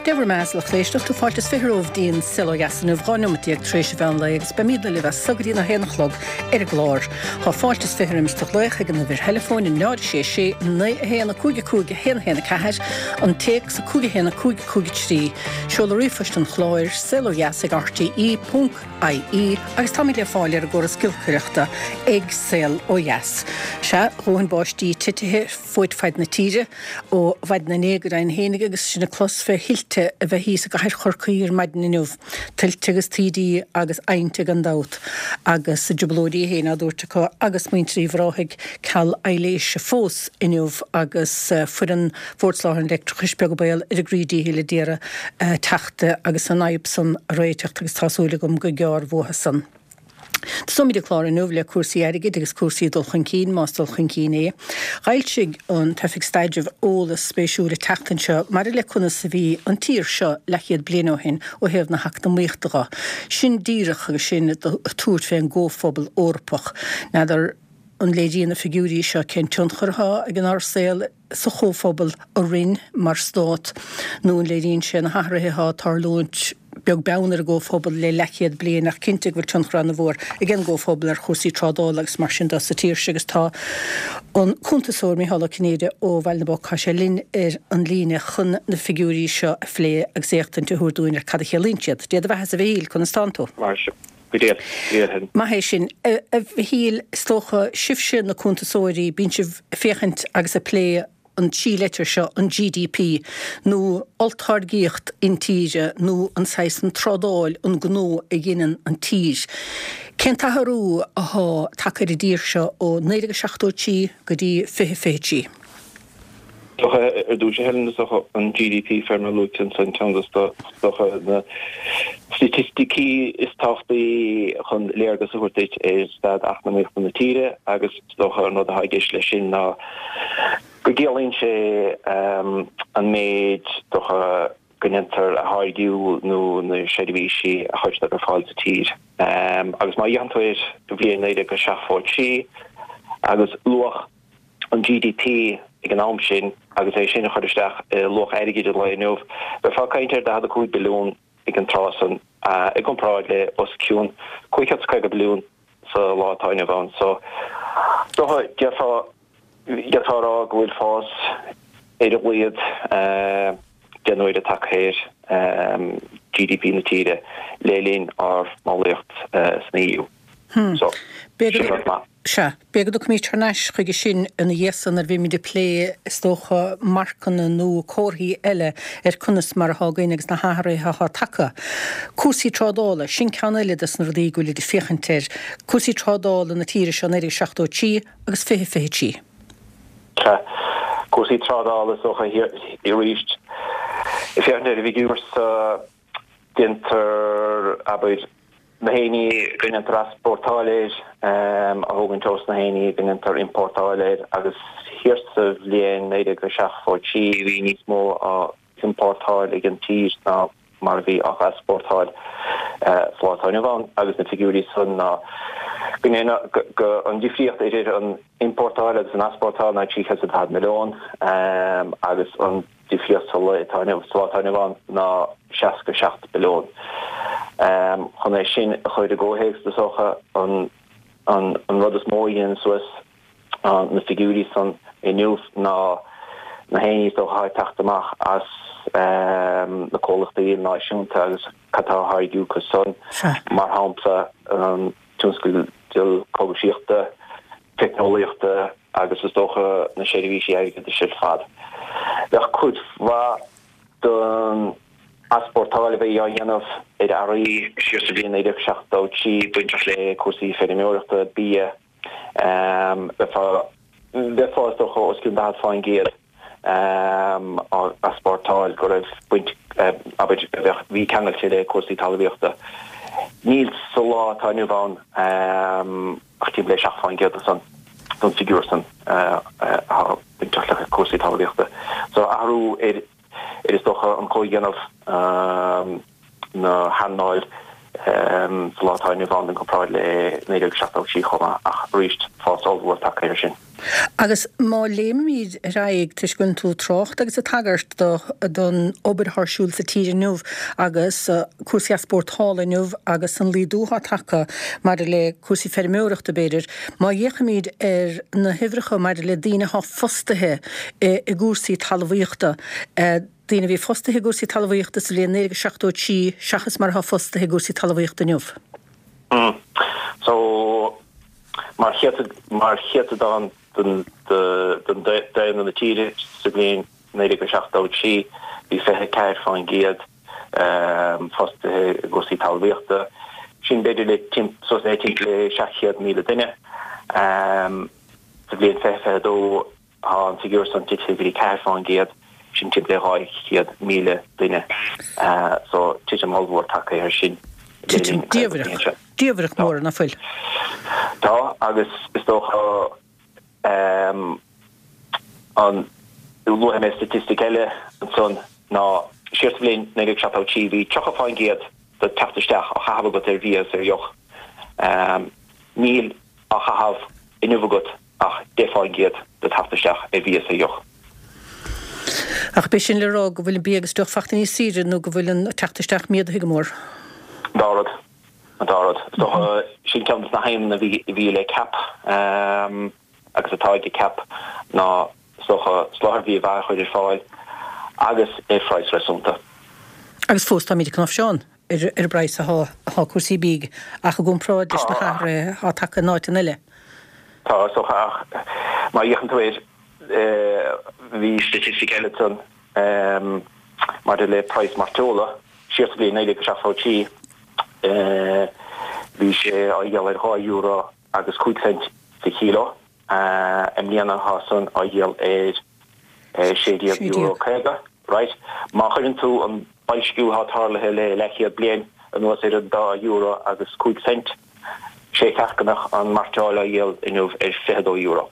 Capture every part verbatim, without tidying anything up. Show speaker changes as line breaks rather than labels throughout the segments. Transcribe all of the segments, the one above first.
Dia bhur mbeatha, a lucht éisteachta, fáilte is fiche romhaibh dtí'n Saol Ó Dheas inniu, dhá neomat déag tar éis an mheán lae agus beimídne libh as so go dtí'n a haon a chlog ar an gclár. Tá fáilte is fiche roimis do ghlaoch ag an uimhir theileafóin náid a sé sé naoi a haon a cúig a cúig a haon a haon a ceathair, an téacs a cúig a haon a cúig a cúig a trí, seoladh ríomhphoist an chláir, saol ó dheas ag R T E ponc I E agus táimid le fáil ar an gcóras giolcaireachta ag Saol Ó Dheas. Sea, dhóthain báistí titithe fud fad na tíre ó mhaidin inné go deimhin fhéinig agus sinn ag clos fé thuilte a bheith thíos i gcathair Chorcaí ar maidin inniu. Tuilte agus taoidí agus adhainte gan dabht agus a dtrioblóidí féin á dtabhairt acu agus muintir Uíbh Ráthaigh ceal aibhléise fós inniu agus foireann Bhord Soláthair an Leictreachais beag an baol ar a gcroí díchill a d'iarraidh teacht agus an fhadhb san a réiteacht agus tá súil agam gur gearr uathu san. Tosóimid an clár inniu le cúrsaí airgid agus cúrsaí dul chun cinn, más dul chun cinn é. D'fhoilsigh an tOifig Staidrimh eolas spéisiúil an tseachtain seo maidir le conas a bhí an tír seo leathchéad bliain ó shin ó thaobh na heacnamaíochta de. Sin díreach agus sinn ag tabhairt fén gComhphobal Eorpach. N'fheadar an léiríonn na figiúirí seo cén tionchar atá ag an ár saol sa chomhphobal orainn mar stát nó an léiríonn sé na hathruithe atá ag tarlúint beag beann ar an gcomhphobal le leathchéad bliain, ach cinnte go bhfuil tionchar an-mhór ag an gcomhphobal ar chúrsaí trádála agus mar sin de sa tír seo agus tá an cuntasóir Micheál Ó Cinnéide ó Bhaile na bPoc, tá sé linn ar an líne chun na figiúirí seo a phlé agus éachtaint a thabhairt dúinn ar cad a chiallaíonn siad. Dia do bheatha a Mhichíl, conas tánn tú?
Mar go dé
Maith é sin. A Mhichíl, is dócha sibhse na cuntasóirí, bíonn sibh ag féachaint agus ag plé an trí leitir seo, an G D P nó olltáirgíocht intíre nó an saghas an trádáil, an gnó a dhéanann an tír. Cén t-athrú atá tagtha ar an dtír seo ó naoi déag seachtó trí go dtí fiche fiche trí?
Ar dtús, Helen, an G D P fé mar luaite san ceann de na staitisticí is tábhachtaí chun léargas a thabhairt ar staid eacnamaíochta na tíre agus dócha an rud atá i gceist leis sin ná go gciallaíonn sé an méid dócha go ndéantar a tháirgiú nó na seirbhísí a chuirtear ar fáil sa tír. Agus má fhéachann tú ar bhliain naoi déag seachtó trí agus luach an G D P ag an am sin agus é sin a chur isteach i luach airgid an lae inniu, bheifeá ag caint ar daichead a cúig billiún ag an tráth san i gcomparáid le os cionn cúig chéad is caoga billiún sa lá atá inniu ann. So dócha déarfá d'fhéadfá a rá go bhfuil fás ar a laghad deich n-uaire tagtha ar G D P na tíre le linn ár mballraíocht san E U. So sin rud maith.
Sea, b'fhéidir go dtiocfaimid thar n-ais chuige sin ina dhiaidh san nuair a bhímid ag plé, is dócha, marcanna nó comharthaí eile ar conas mar atá againn agus na hathruithe atá tagtha. Cúrsaí trádála, sin ceann eile des na rudaí go bhfuilid ag féachaint air. Cúrsaí trádála na tíre seo naoi déag seachtó a trí agus fiche fiche trí.
Sea, cúrsaí trádála is dócha arís ag féachaint ar an bhfigiúr so déantar, abair, na hearraí go ndéantar easpórtáil air a thógaint ós na hearraí go ndéantar iompórtáil air agus thiar sa bhliain naoi déag seachtó trí bhí níos mó á iompórtáil ag an tír ná mar a bhí á easpórtáil sa lá atá inniu ann agus na figiúirí san ná go go an difríocht idir an iompórtáil agus an easpórtáil ná trí chéad is daichead milliún agus an difríocht sa lá atá inniu sa lá atá inniu ann ná seasca seacht billiún. Chun é sin a chur i gcomhthéacs, is dócha an an an rud is mó a dhéanann suas na figiúirí san inniu ná na hearraí is dócha atá ag teacht amach as na comhlachtaí náisiúnta agus cad tá á tháirgiú acu san, mar shampla an tionscal cógaisíochta, teicneolaíochta agus is dócha na seirbhísí airgeadais ar fad. Bheadh cuid mhaith den easpórtáil a bhí á dhéanamh ar earraí siar sa bhliain naoi déag seachtó trí bainteach le cúrsaí feirmeoireachta, bia, bheifeá bheifeá is dócha os cionn daichead fán gcéad á easpórtáil go raibh baint, abair, a bheadh bhí ceangailte le cúrsaí talmhaíochta. Níl sa lá atá inniu ann ach timpeall le seacht fán gcéad de san den figiúr san atá bainteach le cúrsaí talmhaíochta. So athrú ar ar is dócha an comhdhéanamh na hearnáil sa lá atá inniu ann i gcomparáid le naoi déag seachtó trí chomh maith ach arís fás ollmhór tagtha air sin.
Agus má léimimid ar aghaidh, toisc go bhfuil tú ag trácht agus ag tagairt do don obair atá ar siúl sa tír inniu agus cúrsaí easpórtála inniu agus an laghdú atá tagtha maidir le cúrsaí feirmeoireachta b'fhéidir, má fhéachaimid ar na huimhreacha maidir le daoine atá fostaithe i gcúrsaí talmhaíochta, daoine a bhí fostaithe i gcúrsaí talmhaíochta sa bhliain naoi déag seachtó a trí seachas mar atá fostaithe i gcúrsaí talmhaíochta inniu.
So, mar chéatadán den daonra na tíre sa bhliain naoi déag seachtó a trí, bhí fiche a ceathair fán gcéad fostaithe i gcúrsaí talmhaíochta. Sin b'fhéidir le suas le timpeall le seacht chéad míle duine. Sa bhliain fiche fiche a dó tá an figiúr san tite go dtí ceathair fán gcéad, sin timpeall le dhá chéad míle duine. So titim ollmhór tagtha air sin.
Titim diamhrach. Diamhrach mór, nach bhfuil?
Tá, agus is dócha an luafaidh mé staitistic eile ansan ná siar sa bhliain naoi déag seachtó trí bhí tríocha fán gcéad de theacht isteach á chaitheamh agat ar bhia is ar dheoch. Níl á chaitheamh inniu agat ach deich fán gcéad de theacht isteach ar bhia is ar dheoch.
Ach b'é sin le rá go bhfuil an bia agus deoch fachta níos saoire nó go bhfuil an teacht isteach méadaithe go mór?
An dá rud. An dá rud. Is dócha, sin ceann de na haidhmeanna a bhí le CAP agus atá ag CAP ná is dócha soláthar bhia mhaith a chur ar fáil agus ar phraghas réasúnta.
Agus fós táimid ag cnáimhseán ar an bpraghas atá cúrsaí bídh ach i gcomparáid leis na hathruithe atá tagtha in áiteanna eile.
Tá, is dócha, ach má fhéachann tú air, bhí staitistic eile ansan maidir le praghas mairteola. Siar sa bhliain naoi déag seachtó a trí, bhí sé á dhíol ar dhá euro agus cúig cent sa chíló. I mbliana tá san á dhíol ar sé déag euro caoga. Right. Má chuireann tú an boilsciú atá tarlaithe le leathchéad bliain anuas ar an dá euro agus cúig cent, sé cheart go mbeadh an mairteoil á dhíol inniu ar fiche dó euro.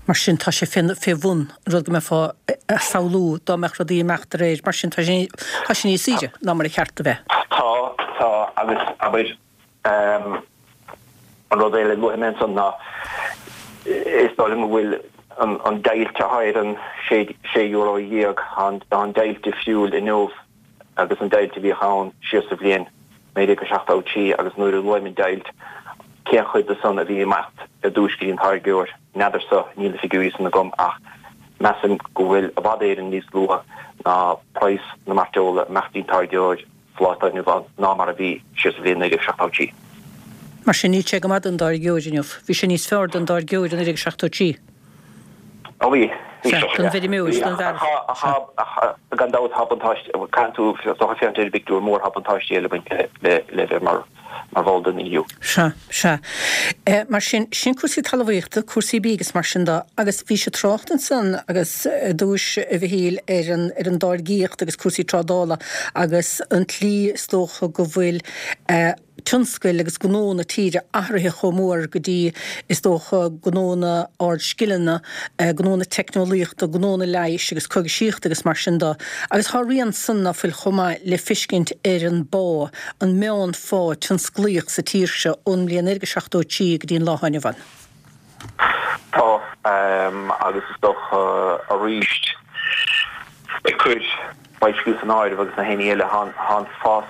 Mar sin, tá sé fé bhun an rud go mbeifeá a samhlú dá mbeadh rudaí ag imeacht de réir. Mar sin, tá sé tá sé níos saoire ná mar a cheart a bheith.
Tá, tá, agus abair, an rud eile a luafaidh mé ansan ná is dóigh liom go bhfuil an an deighilt atá ar an sé sé euro dhéag, tá an deighilt difriúil inniu agus an deighilt a bhíodh ann siar sa bhliain naoi déag a seachtó a trí agus nuair a luaim an deighilt, cén chuid de san a bhí ag imeacht ar dtúis go dtí an táirgeoir, n'fheadarsa, níl na figiúirí san agam ach measaim go bhfuil i bhfad Éireann níos lú ná praghas na mairteola ag imeacht dtí'n táirgeoir sa lá atá inniu ann ná mar a bhí siar sa bhliain naoi déag seachtó trí.
Mar sin níl sé go maith don dtáirgeoir inniu. Bhí sé níos fearr don dtáirgeoir i naoi déag seachtó trí.
Ó bhí. Bhí
Sea, don bhfeirmeoir, don bhfear.
Sea. Gan dabht tá buntáiste, caithfidh tú, is dócha féachaint ar an bpictiúr mór, tá buntáistí eile ag baint le le bheith mar mar bhall den EU.
Sea, sea. Mar sin, sin cúrsaí talmhaíochta, cúrsaí bídh agus mar sin de. Agus bhís ag trácht ansan agus i dtús, a Mhichíl, ar an ar an dtáirgíocht agus cúrsaí trádála agus an tslí is dócha go bhfuil tionscail agus gnó na tíre athraithe chomh mór go dtí, is dócha, gnónna ardscileanna, gnónna teicneolaíochta, gnónna leighis agus coigisíochta agus mar sin de. Agus tá rian san ná fuil chomh maith le fiscint ar an bpá, an meánphá tionsclaíoch sa tír seo ón mbliain naoi déag seachtó a trí go dtí an lá atá inniu ann.
Tá, agus is dócha arís ag cur boilsciú san áireamh agus na héinní eile, tá an fás,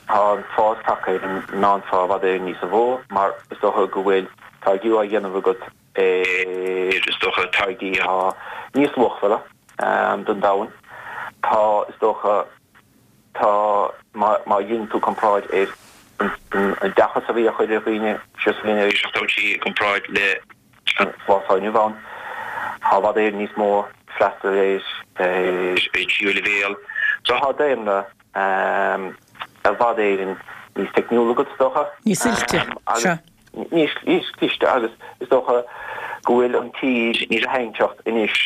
Tá an fás tagtha ar an meánphá i bhfad Éireann níos mó mar is dócha go bhfuil táirgiú á dhéanamh agat ar is dócha táirgí atá níos luachmhara don domhan. Tá is dócha tá má má dhéanann tú comparáid ar an oideachas a bhí á chur ar dhaoine siar sa bhliain naoi déag seachtó a trí i gcomparáid le an lá atá inniu ann, tá i bhfad Éireann níos mó freastal ar ar tríú leibhéal. So tá daonra i bhfad Éireann níos teicniúla agat, is dócha.
Níos oilte, sea.
Níos cliste agus is dócha go bhfuil an tír níos tarraingteacht anois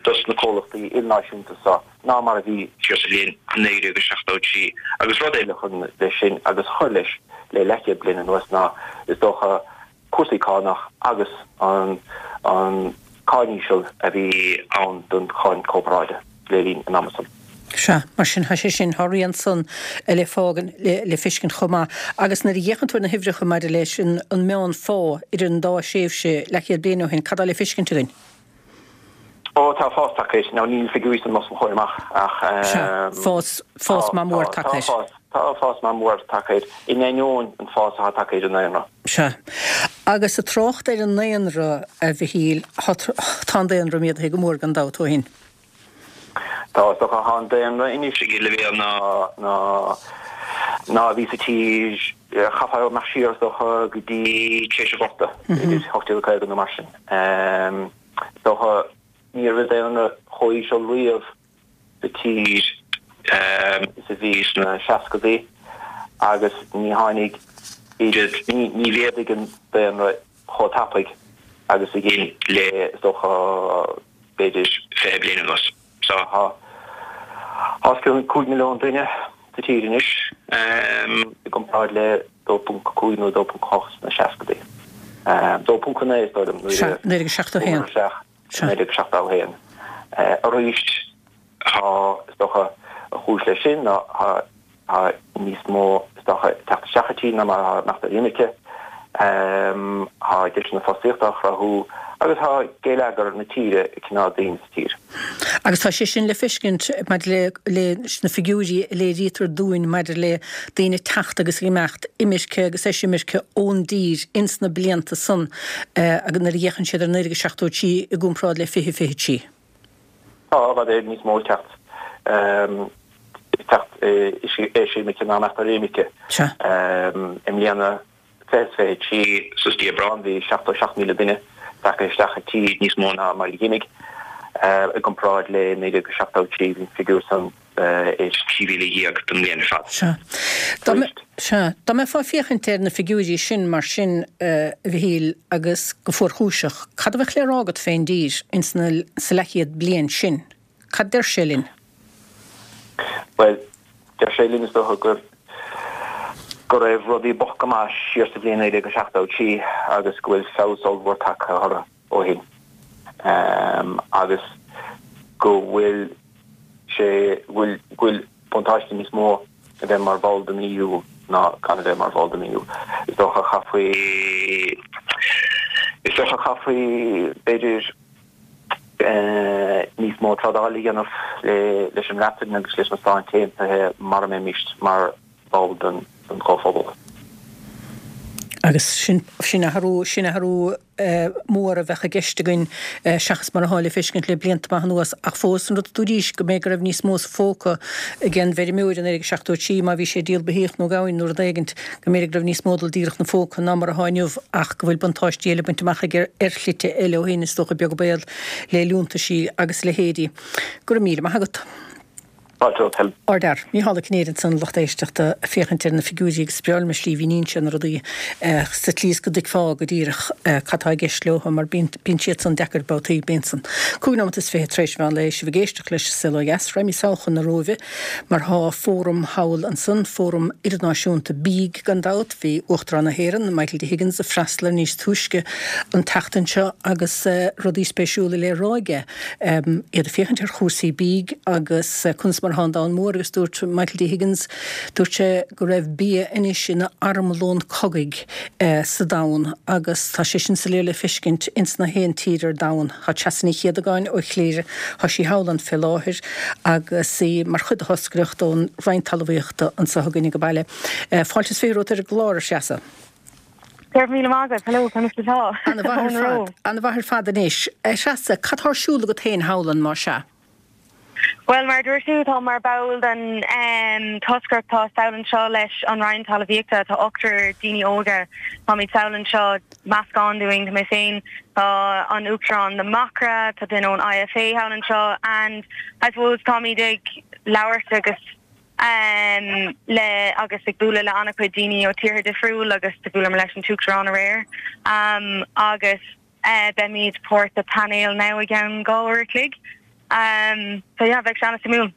dos na comhlachtaí ilnáisiúnta seo ná mar a bhí siar sa bhliain naoi déag seachtó a trí. Agus rud eile chun leis sin agus a chuir leis le leathchéad bliain anuas ná is dócha cúrsaí cánach agus an an cáin íseal a bhí ann don cháin chorparáide le linn an ama san.
Sea, mar sin, tá sé sin, tá rian san le fágan, le feiscint chomh maith. Agus nuair a fhéachann tú ar na huimhreacha maidir leis an meán-phá idir an dá thréimhse leathchéad bliain ó shin, cad tá le feiscint againn?
Ó, tá fás tagtha air. Now, níl figiúirí san os mo chomhair amach ach.
Sea, fás, fás maith mór tagtha air.
Tá fás, tá fás maith mór tagtha air, in ainneoin an fás atá tagtha ar an ndaonra.
Sea. Agus ag trácht ar an ndaonra, a Mhichíl, tá an daonra méadaithe go mór gan dabht ó shin.
Tá, is dócha, tá an daonra anois ag leibhéal ná, ná, ná a bhí sa tír, chaithfeá imeacht siar is dócha go dtí tar éis an Ghorta, idir ocht déag caoga nó mar sin. Is dócha, ní raibh daonra chomh íseal riamh sa tír is a bhí sna seascadaí agus ní tháinig oiread, ní, ní mhéadaigh an daonra chomh tapaidh agus a dhein le, is dócha, b'fhéidir fiche bliain anuas. So tá os cionn cúig milliún duine sa tír anois, i gcomparáid le dó ponc cúig nó dó ponc ocht sna seascadaí. Dó ponc a naoi is dóigh liom
nuair a naoi déag seachtó a haon.
naoi déag seachtó a haon. Arís tá, is dócha, an chúis leis sin ná tá Tá níos mó, is dócha, ag teacht isteach sa tír ná mar atá ag imeacht ar imirce. Tá deiseanna fostaíochta á chruthú agus tá geilleagar na tíre ag coinneáil daoine sa tír.
Agus tá sé sin le feiscint maidir leis na figiúirí a léirítear dúinn maidir le daoine ag teacht agus ag imeacht, imirce agus eisimirce ón dtír ins na blianta san agus nuair a fhéachann siad ar naoi déag seachtó a trí i gcomparáid le fiche fiche trí.
Tá i bhfad Éireann níos mó ag teacht. Teacht eisimirce ná imeacht ar imirce. I mbliana fiche is fiche trí suas dtí Aibreán bhí seachtó seacht míle duine tagtha isteach sa tír, níos mó ná mar a d'imigh. I gcomparáid le naoi déag seachtó trí bhí an figiúr san ar trí mhíle dhéag don mbliain ar fad.
Sea. Sea. Dá mbeifeá ag féachaint ar na figiúirí sin mar sin, a Mhichíl, agus go fuarchúiseach, cad a bheadh le rá agat fén dtír ins na, sa leathchéad bliain sin? Cad deir sé linn?
Bhuel, deir sé linn, is dócha, gur go raibh rudaí bocht go maith siar sa bhliain naoi déag seachtó a trí agus go bhfuil feabhas ollmhór tagtha orthu ó shin agus go bhfuil sé, go bhfuil, go bhfuil buntáiste níos mó a bheith mar bhall den EU ná gan a bheith mar bhall den EU. Is dócha chaithfí, is dócha chaithfí, b'fhéidir, níos mó trádála a dhéanamh leis an mBreatain agus leis na Stáit Aontaithe mara mbeimis mar bhall den Chomhphobal.
Agus sin sin athrú sin athrú mór a bheadh i gceist againn seachas mar atá le feiscint le blianta maith anuas. Ach fós an rud a dúraís go mb'fhéidir go raibh níos mó sa phóca ag an bhfeirmeoir i naoi déag seachtó a trí má bhí sé ag díol beithíoch nó gamhain nó rud éigint go mb'fhéidir go raibh níos mó ag dul díreach 'na phóca ná mar atá inniu ach go bhfuil buntáistí eile bainte amach aige ar shlite eile ó shin, is dócha, beag an baol le liúntaisí agus a leithéidí. Go raibh míle maith agat.
Fáilte romhat, Helen.
Ardfhear. Mícheál Ó Cinnéide ansan, a lucht éisteachta, ag féachaint ar na figiúirí agus is breá liom an slí a mhíníonn sé na rudaí sa tslí is go dtuigfeá go díreach cad tá i gceist leo mar bíonn bíonn siad san deacair babhtaí, bíonn san. Cúig nóimeat is fiche tar éis mheán lae, sibh ag éisteacht leis An Saol Ó Dheas. Raghaimid sall chun na Róimhe mar thá fóram thall ansan, fóram idirnáisiúnta bídh gan dabht. Bhí Uachtarán na hÉireann, Michael D Higgins, ag freastal air níos túisce an tseachtain seo agus rudaí spéisiúla le rá aige. Iad ag féachaint ar chúrsaí bídh agus conas mar atá an domhan mór agus dúirt Michael D Higgins, dúirt sé go raibh bia anois ina armlón cogaidh sa domhan agus tá sé sin soiléir le feiscint ins na haon tír ar domhan. Tá Treasa Ní Chéadagáin ó Chléire, tá sí thall ann fé láthair agus í mar chuid de thoscaireacht ón Roinn Talmhaíochta anseo againn ag baile. Fáilte is fiche romhat ar an gclár, a Threasa.
Go raibh míle maith agat. Hello, conas atá?
Ana-mhaith ar fad, ana-mhaith ar fad anois. A Threasa, cad tá ar siúl agat féin thall ann, más ea?
Bhuel, mar a dúirt tú, táim mar ball den toscaireacht atá sall anseo leis an Roinn Talmhaíochta. Tá ochtar daoine óga, táimid sall anseo, meascán dúinn, tá mé féin, tá an Uachtarán na Macra, tá duine ón IFA thall anseo and I suppose táimid ag labhairt agus le agus ag bualadh le an-chuid daoine ó tíortha difriúil agus do bhuaileamar leis an tUachtarán aréir agus beimid páirt de painéal now i gceann dhá uair a chloig. So yeah, bheidh sé an-suimiúil.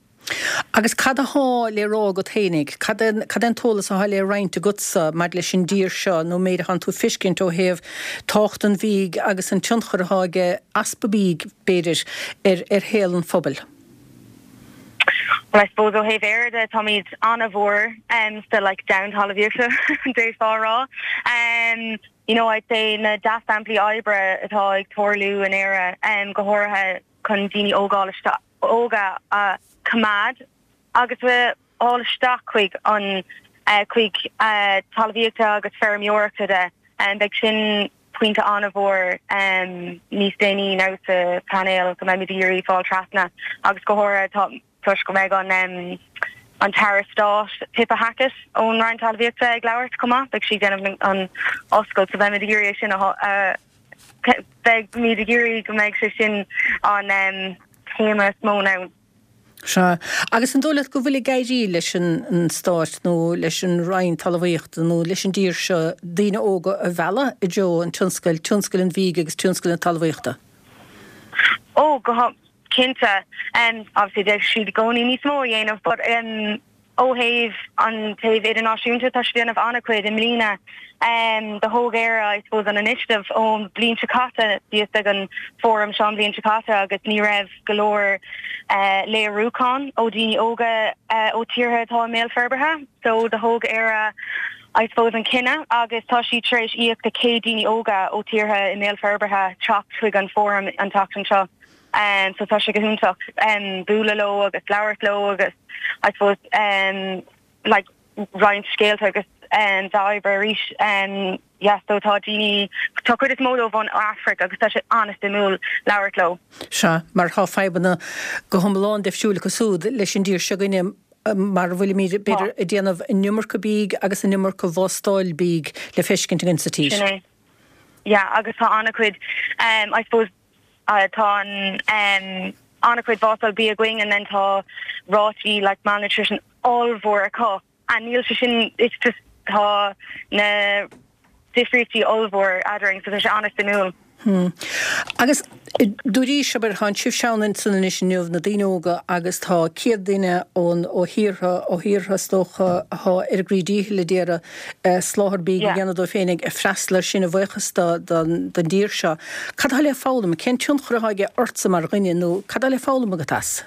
Agus cad athá le rá agat fhéinig? Cad é cad é an t-eolas athá le roinnt agatsa maidir leis an dtír seo nó an méid athánn tú ag feiscint ó thaobh tábhacht an bhídh agus an tionchar athá aige easpa bídh, b'fhéidir, ar ar shaol an phobail?
Well, I suppose ó thaobh Éire de táimid an-mhór um, still like down talmhaíochta d'fhéadfá a rá. Um, you know, I'd say na dea-shamplaí oibre atá ag tarlú in Éire um, go háirithe chun daoine óga óga a choimeád agus a fháil isteach chuig an uh, chuig uh, talmhaíochta agus feirmeoireachta de um, beidh sin pointe an-mhór um, níos déanaí ná sa panel go mbeimid ag iarraidh fáil trasna agus go háirithe tá toisc go mbeidh an um, an tAire Stáit Pippa Hackett ón Roinn Talmhaíochta ag labhairt chomh maith, beidh sí ag déanamh an oscailt so beimid ag iarraidh sin uh, beimid ag iarraidh go mbeidh sé sin an um, téama is mó ná.
Sea, agus an dóigh leat go bhfuil ag éirí leis an stát nó leis an Roinn Talmhaíochta nó leis an dtír seo daoine óga a mhealladh i dtreo an tionscail, tionscal an bhídh agus tionscal na talmhaíochta?
Ó go cinnte um, obviously d'fhéadfadh siad i gcónaí níos mó a dhéanamh, but um, ó thaobh an taobh idirnáisiúnta tá siad déanamh an-chuid i mbliana um, do thóg Éire I suppose an initiative ón bliain seo caite bhíos ag an fóram seo an bhliain seo caite agus ní raibh go leor uh, léiriúchán ó daoine óga uh, ó tíortha atá i mbéal forbartha, so do thóg Éire I suppose an cinneadh agus tá sí tar éis íoc do céad daoine óga ó tíortha i mbéal forbartha teacht chuig an fóram an tseachtain seo. Um, so tá sé go hiontach um, bualadh leo agus labhairt leo agus I suppose um, like roinnt scéalta agus um, dea-obair arís um, yes, so tá daoine tá cuid is mó dóibh ón Afraic agus tá sé an-suimiúil labhairt leo.
Sea, mar tá fadhbanna go hiomlán difriúil acu siúd leis an dtír seo againne mar bhfuilimid b'fhéidir ag déanamh an iomarca bídh agus an iomarca vástáil bídh le feiscint againn sa tír.
Sin é. Yeah, agus tá an-chuid um, I suppose uh, tá an um, an-chuid vástáil bia againn and then tá rátaí like malnutrition ollmhór acu and níl sé sin it's just tá na difríochtaí ollmhór eadrainn so tá sé an-suimiúil.
Hmm. Agus dúirt sibh tá sibh ansan anois inniu na daoine óga agus tá céad duine ón ó thíortha ó thíortha is dócha atá ar a gcroí díchill ag iarraidh eh, soláthar bídh a dhéanamh dóibh féin ag freastal sin a bhuíochas don dtír seo. Cad atá le foghlaim, cén tionchar atá aige ortsa mar dhuine nó cad atá le foghlaim agat as?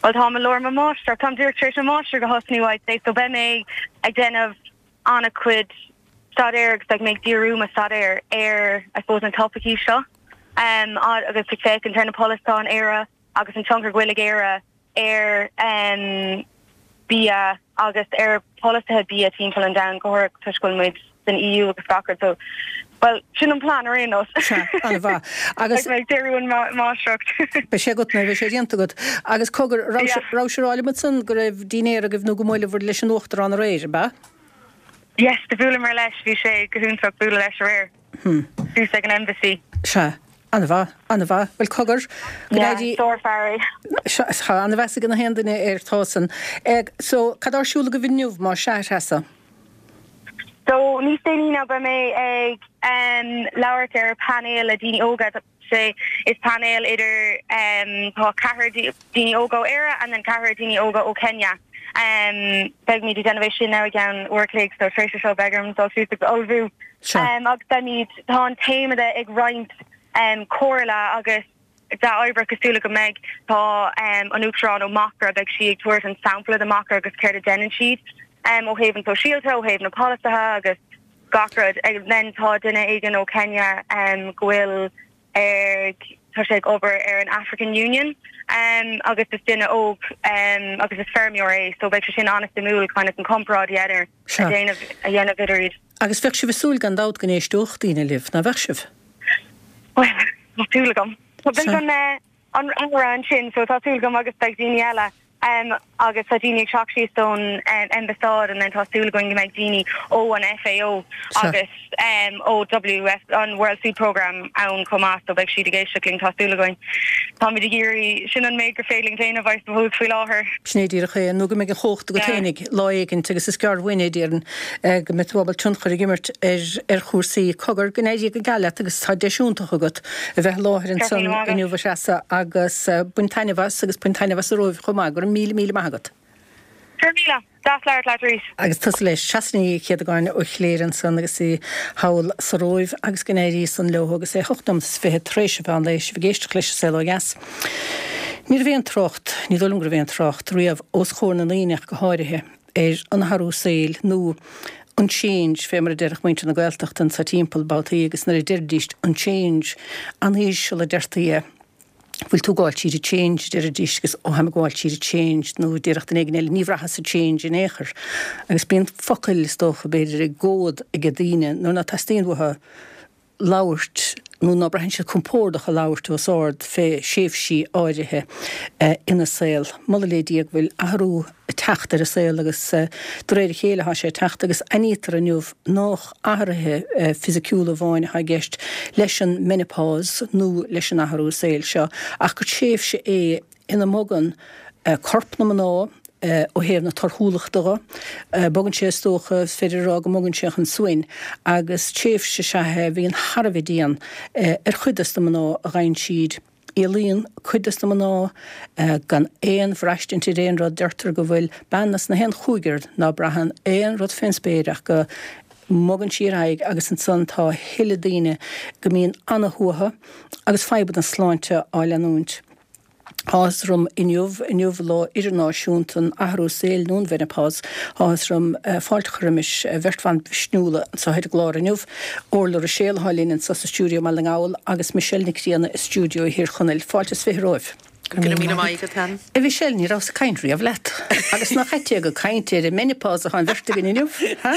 Well tá i lár mo mháistir Táim díreach tar éis mo mháistir a thosnú so beidh mé ag déanamh an-chuid staidéir agus beidh mé ag díriú mo staidéar ar I suppose an topaicí seo um, agus ag féachaint ar na polasaithe in Éire agus an tionchar go bhfuil ag Éire ar um, bia agus ar polasaithe bia timpeall an domhain go toisc go bhfuil muid san EU agus gach rud so well sin an plan ar aon nós
agus
díriú an máistreacht
Beidh sé agat nó beidh sé déanta agat agus cogar raibh sé ráite san go raibh dinnéar agaibh nó go mbuaileabhair leis an uachtarán aréir ab ea?
Yes, do bhuaileamar leis bhí sé go hiontach bualadh leis aréir.
Hmm.
Thuas ag an embassy.
Sea. An-mhaith, an-mhaith, bhuel cogar
sárfhear
é. An-mheas ag na haon duine air tásan. So cad ar siúl agaibh inniu má sea Treasa?
So níos déanaí ná beidh mé ag um, labhairt ar panel le daoine óga sé is panel idir um, tá ceathrar daoine óga ó Éire and then ceathrar daoine óga ó Kenya. Um, beimid ag déanamh sin i gceann uair an chloig so tar éis seo beidh orm dul suas agus ullmhú. Um, agus beimid tá an téama ag roinnt um, comhairle agus dea-obair cosúil go mbeidh tá um, an uachtarán ó Macra beidh sí ag tabhairt an sampla de Macra agus céard a dhéanann siad um, ó thaobh an sóisialta ó thaobh na polasaithe agus gach rud ag then tá duine éigin ó Kenya um, go bhfuil ag tá sé ag obair ar an African Union um, agus is duine óg um, agus is feirmeoir é so beidh sé sin an-suimiúil kind of an comparáid idir a dhéanamh a dhéanamh idir iad.
Agus bheadh sibh ag súil gan dabht go n-éisteodh daoine libh, nach bheadh sibh?
Well, tá súil agam. Tá an uh, an an sin so tá súil agam agus beidh daoine eile um, agus tá daoine ag teacht síos ón um, ambasáid and then tá súil againn go mbeidh daoine ó an FAO agus um, ó WF an World Food Programme ann chomh maith so beidh siad ag éisteacht linn tá súil againn. Táimid ag iarraidh sin an méid gur féidir linn déanamh I suppose faoi láthair.
Sin é díreach é nó go mbeidh an chumhacht agat féinig lá éigin agus is gearr uainn é déarfainn eh, go mbeidh tú ábalta tionchar a imirt ar ar chúrsaí cogar go n-éirí go geal leat agus tá deis iontach agat a bheith i láthair ansan inniu a Threasa agus eh, bain taitneamh as agus bain taitneamh as an Róimh chomh maith go raibh míle míle maith agat.
Míle, Deas labhairt leat arís.
Agus tusa leis Treasa Ní Chéadagáin ó Chléire ansan agus í thall sa Róimh agus go n-éirí san leo agus é hocht nóiméad is fiche tar éis a mheán lae sibh ag éisteacht leis an Saol Ó Dheas. Ní raibh aon trácht, ní dóigh liom go raibh aon trácht riamh os comhair na ndaoine ach go háirithe, ar an athrú saoil nó an change fé mar a déarfadh muintir na Gaeltachta anso timpeall babhtaí agus nuair a deiridís an change, an-íseal a deirtí é. Bhfuil tú ag gabháil tríd an change, a deiridís agus ó tháim ag gabháil tríd an change nó déarfadh duine éigin eile ní bhraitheas an change in aon chor. Agus bíonn focail is dócha b'fhéidir i gcód ag daoine nuair ná teastaíonn uathu labhairt nó ná braitheann siad compordach a labhairt os ard fé thréimhsí áirithe ina saol. Moladh le Dia go bhfuil athrú ag teacht ar an saol agus de réir a chéile atá sé ag teacht agus aithnítear inniu nách athruithe fisiciúla amháin atá i gceist leis an menopause nó leis an athrú saoil seo ach gur tréimhse é ina mbogann corp na mná ó thaobh na torthúlachta dho. Bogann sé, is dócha, is féidir a rá go mbogann sé chun suain agus tréimhse is ea é a bhíonn thar a bheith dian ar chuid dos na mná a ghabhann tríd. Éalaíonn cuid dos na mná gan aon bhraistint ar aon rud. Deirtear go bhfuil bean as na haon chúigear ná braitheann aon rud fén spéir ach go mbogann sí ar aghaidh agus ansan tá a thuilleadh daoine go mbíonn ana-shuaitheadh agus fadhbanna sláinte á leanúint. Tá áthas orm inniu, inniu lá idirnáisiúnta an athrú saoil nó an mheineapás, tá áthas orm fáilte a chur roimis bheirt bhan mhisniúla anseo ar an gclár inniu, Orla Ruiséal atá linn anseo sa stiúideo i mBaile na nGall agus Michelle Nic Grianna i stiúideo Thír Chonaill. Fáilte is fiche romhaibh.
Go raibh míle maith agat, Helen.
A Mhichelle, ní rabhas ag caint riamh leat. Agus nach ait é gur ag caint ar an menopause atá an bheirt againn inniu, ha?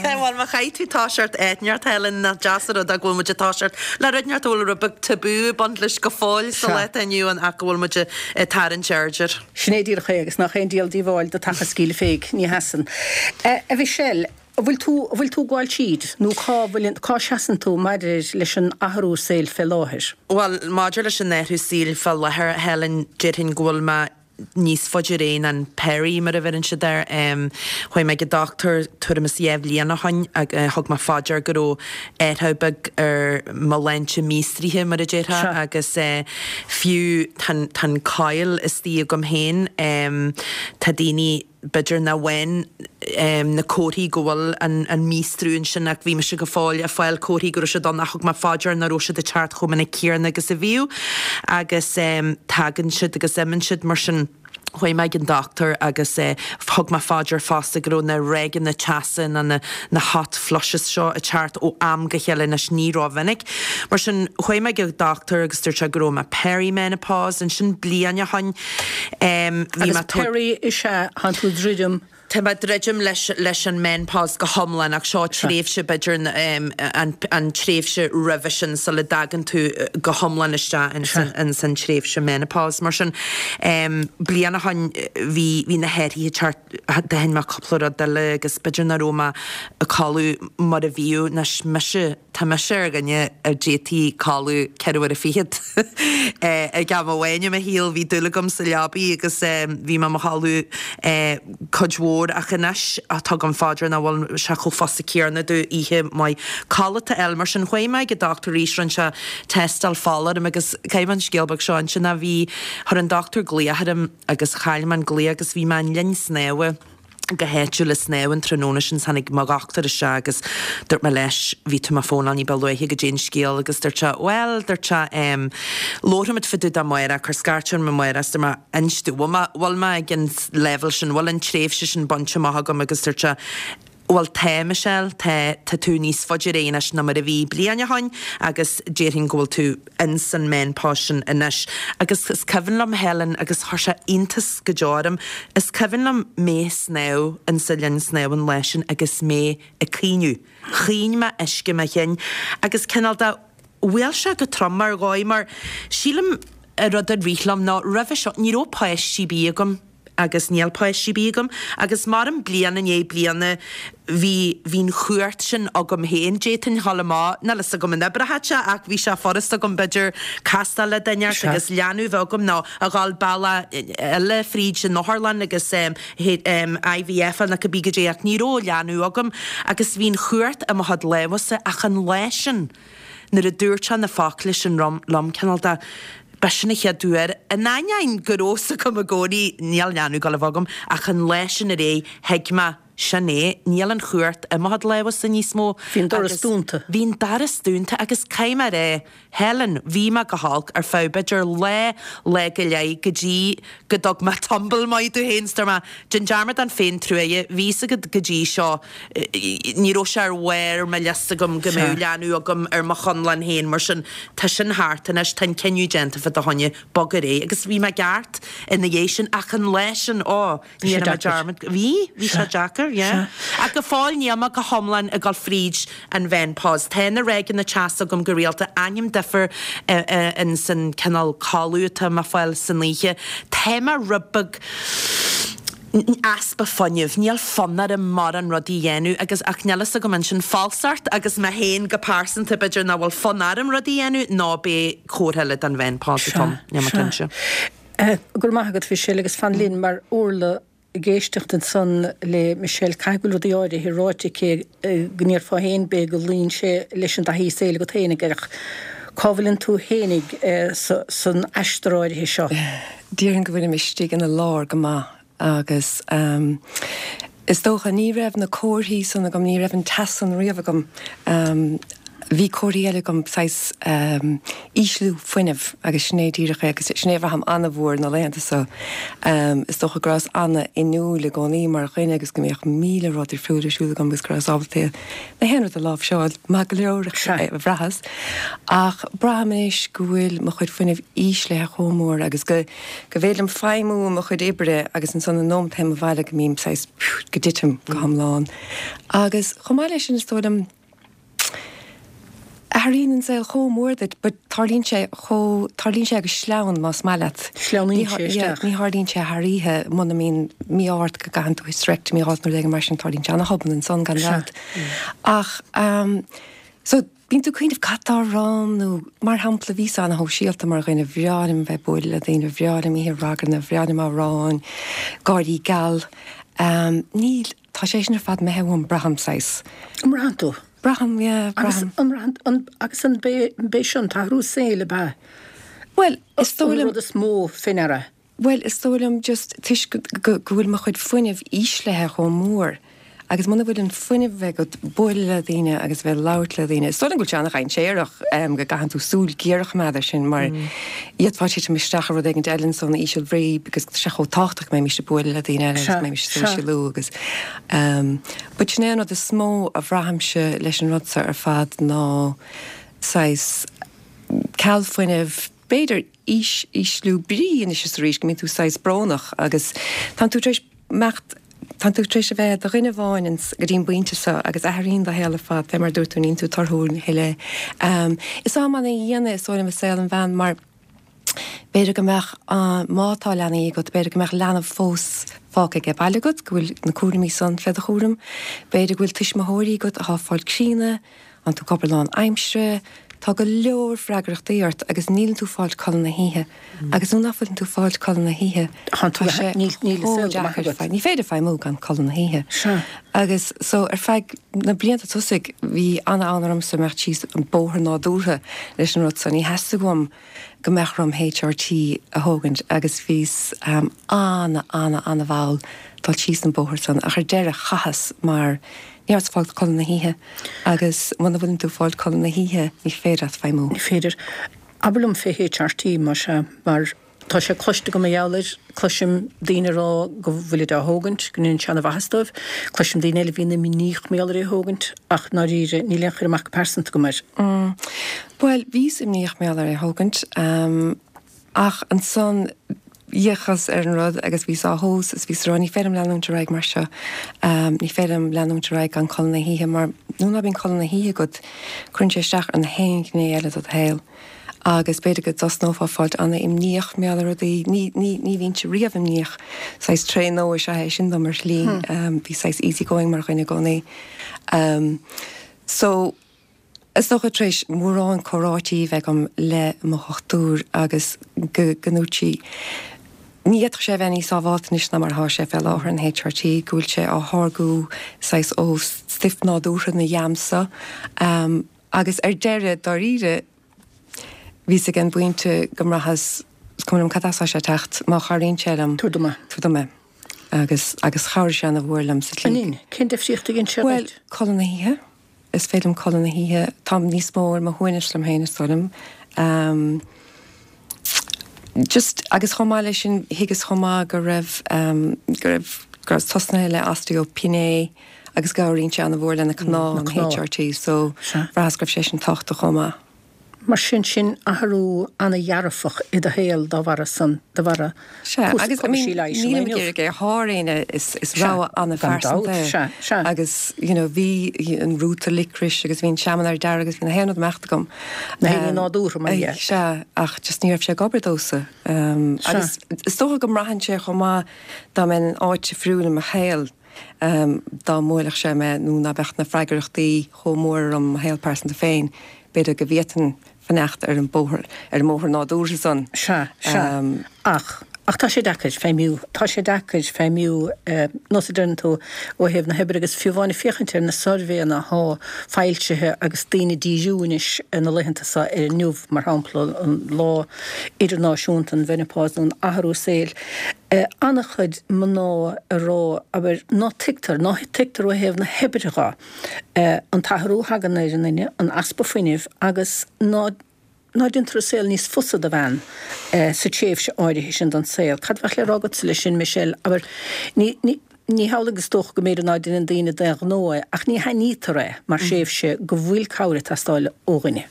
Bhuel, má chaithfidh tú toiseacht áit inteacht, Helen, nach deas an rud é go bhfuil muid ag toiseacht le rud inteacht a bhfuil rud beag tabú ag baint leis go fóill sa lá atá inniu ann ach go bhfuil muid ag tarraingt aird air.
Sin é díreach é, agus nach aon díol díobháil do taca is cíle féig, ní sheasann. A Mhichelle, an bhfuil tú, an bhfuil tú ag gabháil tríd, nó cá bhfuil, cá seasann tú maidir leis an athrú saoil fé láthair?
Bhuel, maidir leis an athrú saoil fé láthair, a Helen, déarfainn go bhfuil mé níos faide ar aghaidh ná an peri, mar a bheireann siad air. Chuaigh mé ag an dochtúir tuairim is dhá bhliain ó shoin agus thug mé fá dear go raibh athrú beag ar mo shláinte míostraithe, mar a déarfá, agus fiú tá an coil istigh agam féin, tá daoine, b'fhéidir nach bhfaigheann na comharthaí go bhfuil an míostrú ansin ach bhí mise go fóill ag fáil comharthaí go raibh siad ann ach thug mé fá dear nach raibh siad ag teacht chomh minic céanna agus a bhíodh agus tagann siad agus imíonn siad mar sin. Chuaigh mé ag an dochtúir agus thug mé fá dear fosta go raibh na ráigeanna teasa nó na na hot flushes seo ag teacht ó am go chéile anois ní rómhinic. Mar sin chuaigh mé ag an dochtúir agus dúirt sé go raibh mé peri-menopause ansin bliain ó shoin.
Bhí mé. Agus peri is ea thánn tú ag druidim.
Tá mé ag druidim leis leis an menopause go hiomlán ach seo tréimhse b'fhéidir an an tréimhse roimhe sin sula dtagann tú go hiomlán isteach ins an ins an tréimhse menopause. Mar sin bliain ó shoin bhí bhí na hathruithe ag teacht d'aithin mé cúpla rud eile agus b'fhéidir nach raibh mé ag codladh mar a bhíodh anois mise Tá mise ar dhuine a d'fhéadfaí codladh ceithre huaire fichead ag am amháin i mo shaol. Bhí dúil agam sa leabaidh agus bhí mé i mo chodladh cuid mhór ach anois tugaim fá dear nach bhfuil sé chomh fusa céanna domh oíche mhaith codlata a fháil. Mar sin chuaigh mé ag an dochtúir arís, rinne sé tástáil fola orm agus caithfidh mé an scéal beag seo a inse ná bhí, chuir an dochtúir glaoch orm agus chaill mé an glaoch agus bhí mé i linn snámha. go háitiúil ag snámh an tráthnóna sin tháinig mo dhochtúir isteach agus dúirt mé leis bhí tú mo fónáil ní ba luaithe goidé an scéal agus dúirt sé bhuel dúirt sé em labharfaimid fá dtaobh de amárach cuir scairt orm amárach is dúirt mé inis domh bhfuil mé bhfuil mé ag an leibhéal sin bhfuil an tréimhse sin bainte amach agam agus dúirt sé bhuel tá Michelle tá tá tú níos faide ar aghaidh anois ná mar a bhí bliain ó shoin agus déarfainn go bhfuil tú ins an menopause sin anois. Agus is cuimhin liom, Helen, agus chuir sé iontas go deo orm, is cuimhin liom mé ag snámh insa linn snámha an lá sin agus mé ag caoineadh. Chaoin mé uisce mo chinn agus cineál de bhuail sé go trom ar dhóigh mar sílim an rud a rith liom ná roimhe seo ní raibh páistí ar bith agam. agus níl páistí ar bith agam agus maram bliain i ndiaidh bliana bhí bhí an chumhacht sin agam féin d'fhéadfainn dhul amach níl fhios agam an oibreodh sé ach bhí sé furasta agam b'fhéidir castáil le duine inteacht agus leanbh bheith agam nó a dhul bealach eile fríd an otharlann agus IVF nó cibé goidé ach ní raibh leanbh agam agus bhí an chumhacht i mo chuid lámhsa ach an lá sin nuair a dúirt sé na focla sin liom cineál de B'shin an chéad uair, in ainneoin go raibh fhios agam i gcónaí, níl leanbh ag dul a bheith agam, ach an lá sin ar aghaidh, thuig mé sin é, níl an chumhacht i mo chuid lámhsa níos mó.
Bhí an doras dúnta.
Bhí an doras dúnta agus caithfidh mé a rá, Helen, bhí mé go holc ar feadh b'fhéidir lá, lá go leith go dtí go dtug mé tumble maith domh féin, is dúirt mé, déan dearmad den féintruaighe, bhí fhios agat go dtí seo, ní raibh sé ar bharr mo liosta agam go mbeadh leanbh agam ar mo chonlán féin, mar sin tá sin thart anois, tá an cinneadh déanta fá do choinne, bog ar aghaidh. Agus bhí mé ceart ina dhiaidh sin ach an lá sin, ó, ní dhéanfaidh mé dearmad, bhí, bhí sé deacair, yeah. Ach go fóill níl mé go hiomlán ag dul fríd an mheineapáz. Tá na ráigeanna teasa agam go rialta, aithním difear in san cineál codladh atá mé ag fáil san oíche. Tá mé rud beag easpa fuinnimh, níl fonn orm mórán rudaí a dhéanamh agus ach níl fhios agam an sin falsacht agus mé féin go pearsanta b'fhéidir nach bhfuil fonn orm rudaí a dhéanamh nó b'é comhartha eile den mheineapáz atá ann, níl mé cinnte.
Go raibh maith agat Mhichelle agus fan linn mar Orla ag éisteacht ansan le Michelle caithfidh go bhfuil rudaí áirithe ráite aici go ndéarfá féin b'fhéidir go luíonn sé leis an dtaithí saoil agat féinig ach cá bhfuileann tú féinig san aistear áirithe seo?
Déarfainn go bhfuilim istigh ina lár go maith agus is dócha ní raibh na comharthaí san agam, ní raibh an teas san riamh agam. Bhí comharthaí eile agam, saghas ísliú fuinnimh agus sin é díreach é agus sin é a bhraithim an-mhór na laethanta seo. Is dócha go rabhas an-fhuinniúil i gcónaí mar dhuine agus go mbíodh míle rud difriúil ar siúl agam agus go rabhas ábalta na haon rud a láimhseáil maith go leor, a bhraitheas. Ach braithim anois go bhfuil mo chuid fuinnimh íslithe chomh mór agus go go bhféidir liom feidhmiú i mo chuid oibre agus ansan an nóiméad a théim abhaile go mbím saghas go dtitim go hiomlán. Agus chomh maith leis sin is dóigh liom athraíonn an saol chomh mór duit but tarlaíonn sé chomh, tarlaíonn sé go sleamhain más maith leat.
Sleamhnaíonn sé isteach.
Ní tharlaíonn sé thar oíche muna mbíonn mí-ádh ort go gcaitheann tú hysterectomy a fháilt nó rud éigin mar sin tarlaíonn sé ana-thobann ansan gan dabht. Ach so bíonn tú ag cuimhneamh cad tá romham nó mar shampla bhíos ana-shóisialta mar dhuine, bhreá liom bheith ag bualadh le daoine, bhreá liom oíche raganna, bhreá liom amhráin, gáirí geal. Níl, tá sé sin ar fad imithe uaim, braithim saghas.
An mbraitheann tú?
Braithim, yeah,
Agus
braithim.
an mbraitheann, an, agus an b'é, b'é seo an t-athrú saoil ab ea?
Bhuel, is dóigh
An
liom.
rud is mó fé ndeara?
Bhuel, is dóigh liom just toisc go bhfuil mo chuid fuinnimh íslithe chomh mór agus muna bhfuil an fuinneamh agat bualadh le daoine agus bheith ag labhairt le daoine, is dóigh liom go bhfuil sé an-dhainséarach go gcaitheann tú súil ghéar a choimeád air sin mar d'fhéadfá titim isteach i rud éigin eile ansan, íseal bhrí because tá sé chomh tábhachtach go mbeimis ag bualadh le daoine eile agus go mbeimis ag sóisialú agus but sin é an rud is mó a bhraithimse leis an rud seo ar fad ná saghas ceal fuinnimh, b'fhéidir ís, ísliú brí anois is arís, go mbíonn tú saghas brónach agus tánn tú tar éis imeacht, tánn tú tar éis a bheith i do dhuine amháin ins, go dtí an bpointe seo agus athraíonn do shaol ar fad, fé mar a dúirt tú, níonn tú torthúil a thuilleadh. Is am ana-dhian é is dóigh liom i saol an bhean mar b'fhéidir go mbeadh, má tá leanaí agat, b'fhéidir go mbeadh leanbh fós fágtha age baile agat, go bhfuil na cúraimí san fé do chúram, b'fhéidir go bhfuil tuismitheoirí agat athá ag fáil críonna, Tánn tú ag obair lán aimsire, tá go leor freagrachtaí ort agus níleann tú ag fáilt codladh na hoíche. Agus nuair nach bhfuileann tú ag fáilt codladh na hoíche,
Tá
tá sé chomh deacair. Ní féidir feidhmiú gan codladh na hoíche. Agus so ar feadh na blianta tosaigh bhí ana-fhonn ormsa imeacht síos an bóthar nádúrtha leis an rud so. Ní theastaigh uaim go mbeadh orm HRT a thógaint agus bhíos ana, ana, ana-mhall dul síos an bóthar san ach ar deireadh chaitheas mar Ní rabhas ag fáilt codladh na hoíche agus muna bhfuileann tú ag fáilt codladh na hoíche ní féidir leat feidhmiú.
Ní féidir. Abair liom fé HRT, más ea, mar tá sé cloiste agam mar gheall air, cloisim daoine ag rá go bhfuilid á thógaint, go ndéanann sé ana-mhaitheas dóibh, cloisim daoine eile a bhíonn imníoch mar gheall ar é a thógaint ach ndáiríre níl aon chur amach go pearsanta agam air.
Bhuel, bhíos imníoch mar gheall ar é a thógaint. Ach ansan d'fhéachas ar an rud agus bhíos á thomhas is bhíos ag rá ní féidir liom leanúint ar aghaidh mar seo, ní féidir liom leanúint ar aghaidh gan codladh na hoíche mar nuair ná bíonn codladh na hoíche agat cuireann sé isteach ar na haon ghné eile de do shaol agus b'fhéidir go dtosnófá fáilt ana-imníoch mar gheall ar rudaí, ní, ní, ní bhínnse riamh imníoch, saghas tréith nua is ea é sin dom ar shlí, bhí saghas easy going mar dhuine i gcónaí. So. Is dócha tar éis mórán comhráití a bheith agam le mo dhochtúir agus go go ndúirt sí ní fhéadfadh sé a bheith níos sábháilte anois ná mar atá sé fé láthair, an HRT, go bhfuil sé á tháirgiú saghas ó stuif nádúrtha na yams so. Agus ar deireadh, dáiríre, bhíos ag an bpointe go mbraitheas, is cuma liom cad as atá sé ag teacht, má chabhraíonn sé liom,
Tabhair dom é.
tabhair dom é. Agus agus chabhraigh sé ana-mhór liom sa tslí.
An in? Cén difríocht a dhein sé
dhuit? Bhuel, codladh na hoíche. Is féidir liom codladh na hoíche. Táim níos mó ar mo shuaimhneas liom féin, is dóigh liom. Um, just, agus chomh maith leis sin, thuigeas chomh maith go raibh, um, go raibh, go raibh tosnaithe le osteopenia agus go gcabhraíonn sé ana-mhór le na cnámha, an H R T, so bhraitheas go raibh sé sin tábhachtach chomh maith.
Mar sin, sin athrú ana-dhearfach i do shaol dá bharra san, de bharra
Sea, agus I mean, nílim ag iarraidh é a shá ar éinne, is is rogha an-phearsanta é. Agus, you know, bhí an rúta licris agus bhí an seamanóir dearg agus bhí na haon rud ag imeacht agam.
Na héadaí nádúrtha, mar dhea.
Sea, ach just ní raibh sé ag obair domhsa. Agus is dócha go mbraitheann sé chomh maith dá mbeinn in áit difriúil i mo shaol, dá mbuailfeadh sé mé nó ná beadh na freagrachtaí chomh mór orm i mo shaol pearsanta féin, b'fhéidir go bhféadfainn fanacht ar an bóthar, ar an mbóthar nádúrtha san.
Sea, sea. Ach, ach tá sé deacair feidhmiú, tá sé deacair feidhmiú, nós a deireann tú, ó thaobh na hoibre agus fiú amháin ag féachaint ar na suirbhéanna athá foilsithe agus daoine ag díriú anois na laethanta seo ar inniu, mar shampla, an lá idirnáisiúnta an mheineapáis nó an athrú saoil, an-chuid mná ag rá, abair, ná tuigtear, ná tuigtear ó thaobh na hoibre dho, an t-athrú a thagann ar an nduine, an easpa fuinnimh agus ná ná déantar an saol níos fusa do bhean sa tréimhse áirithe sin den saol. Cad a bheadh le rá agatsa leis sin, Michelle? Abair, ní, ní, ní hamhlaidh is dócha go mb'fhéidir ná deineann daoine d'aon ghnó é, ach ní haithnítear é mar thréimhse go bhfuil cabhair ag teastáil ó dhuine.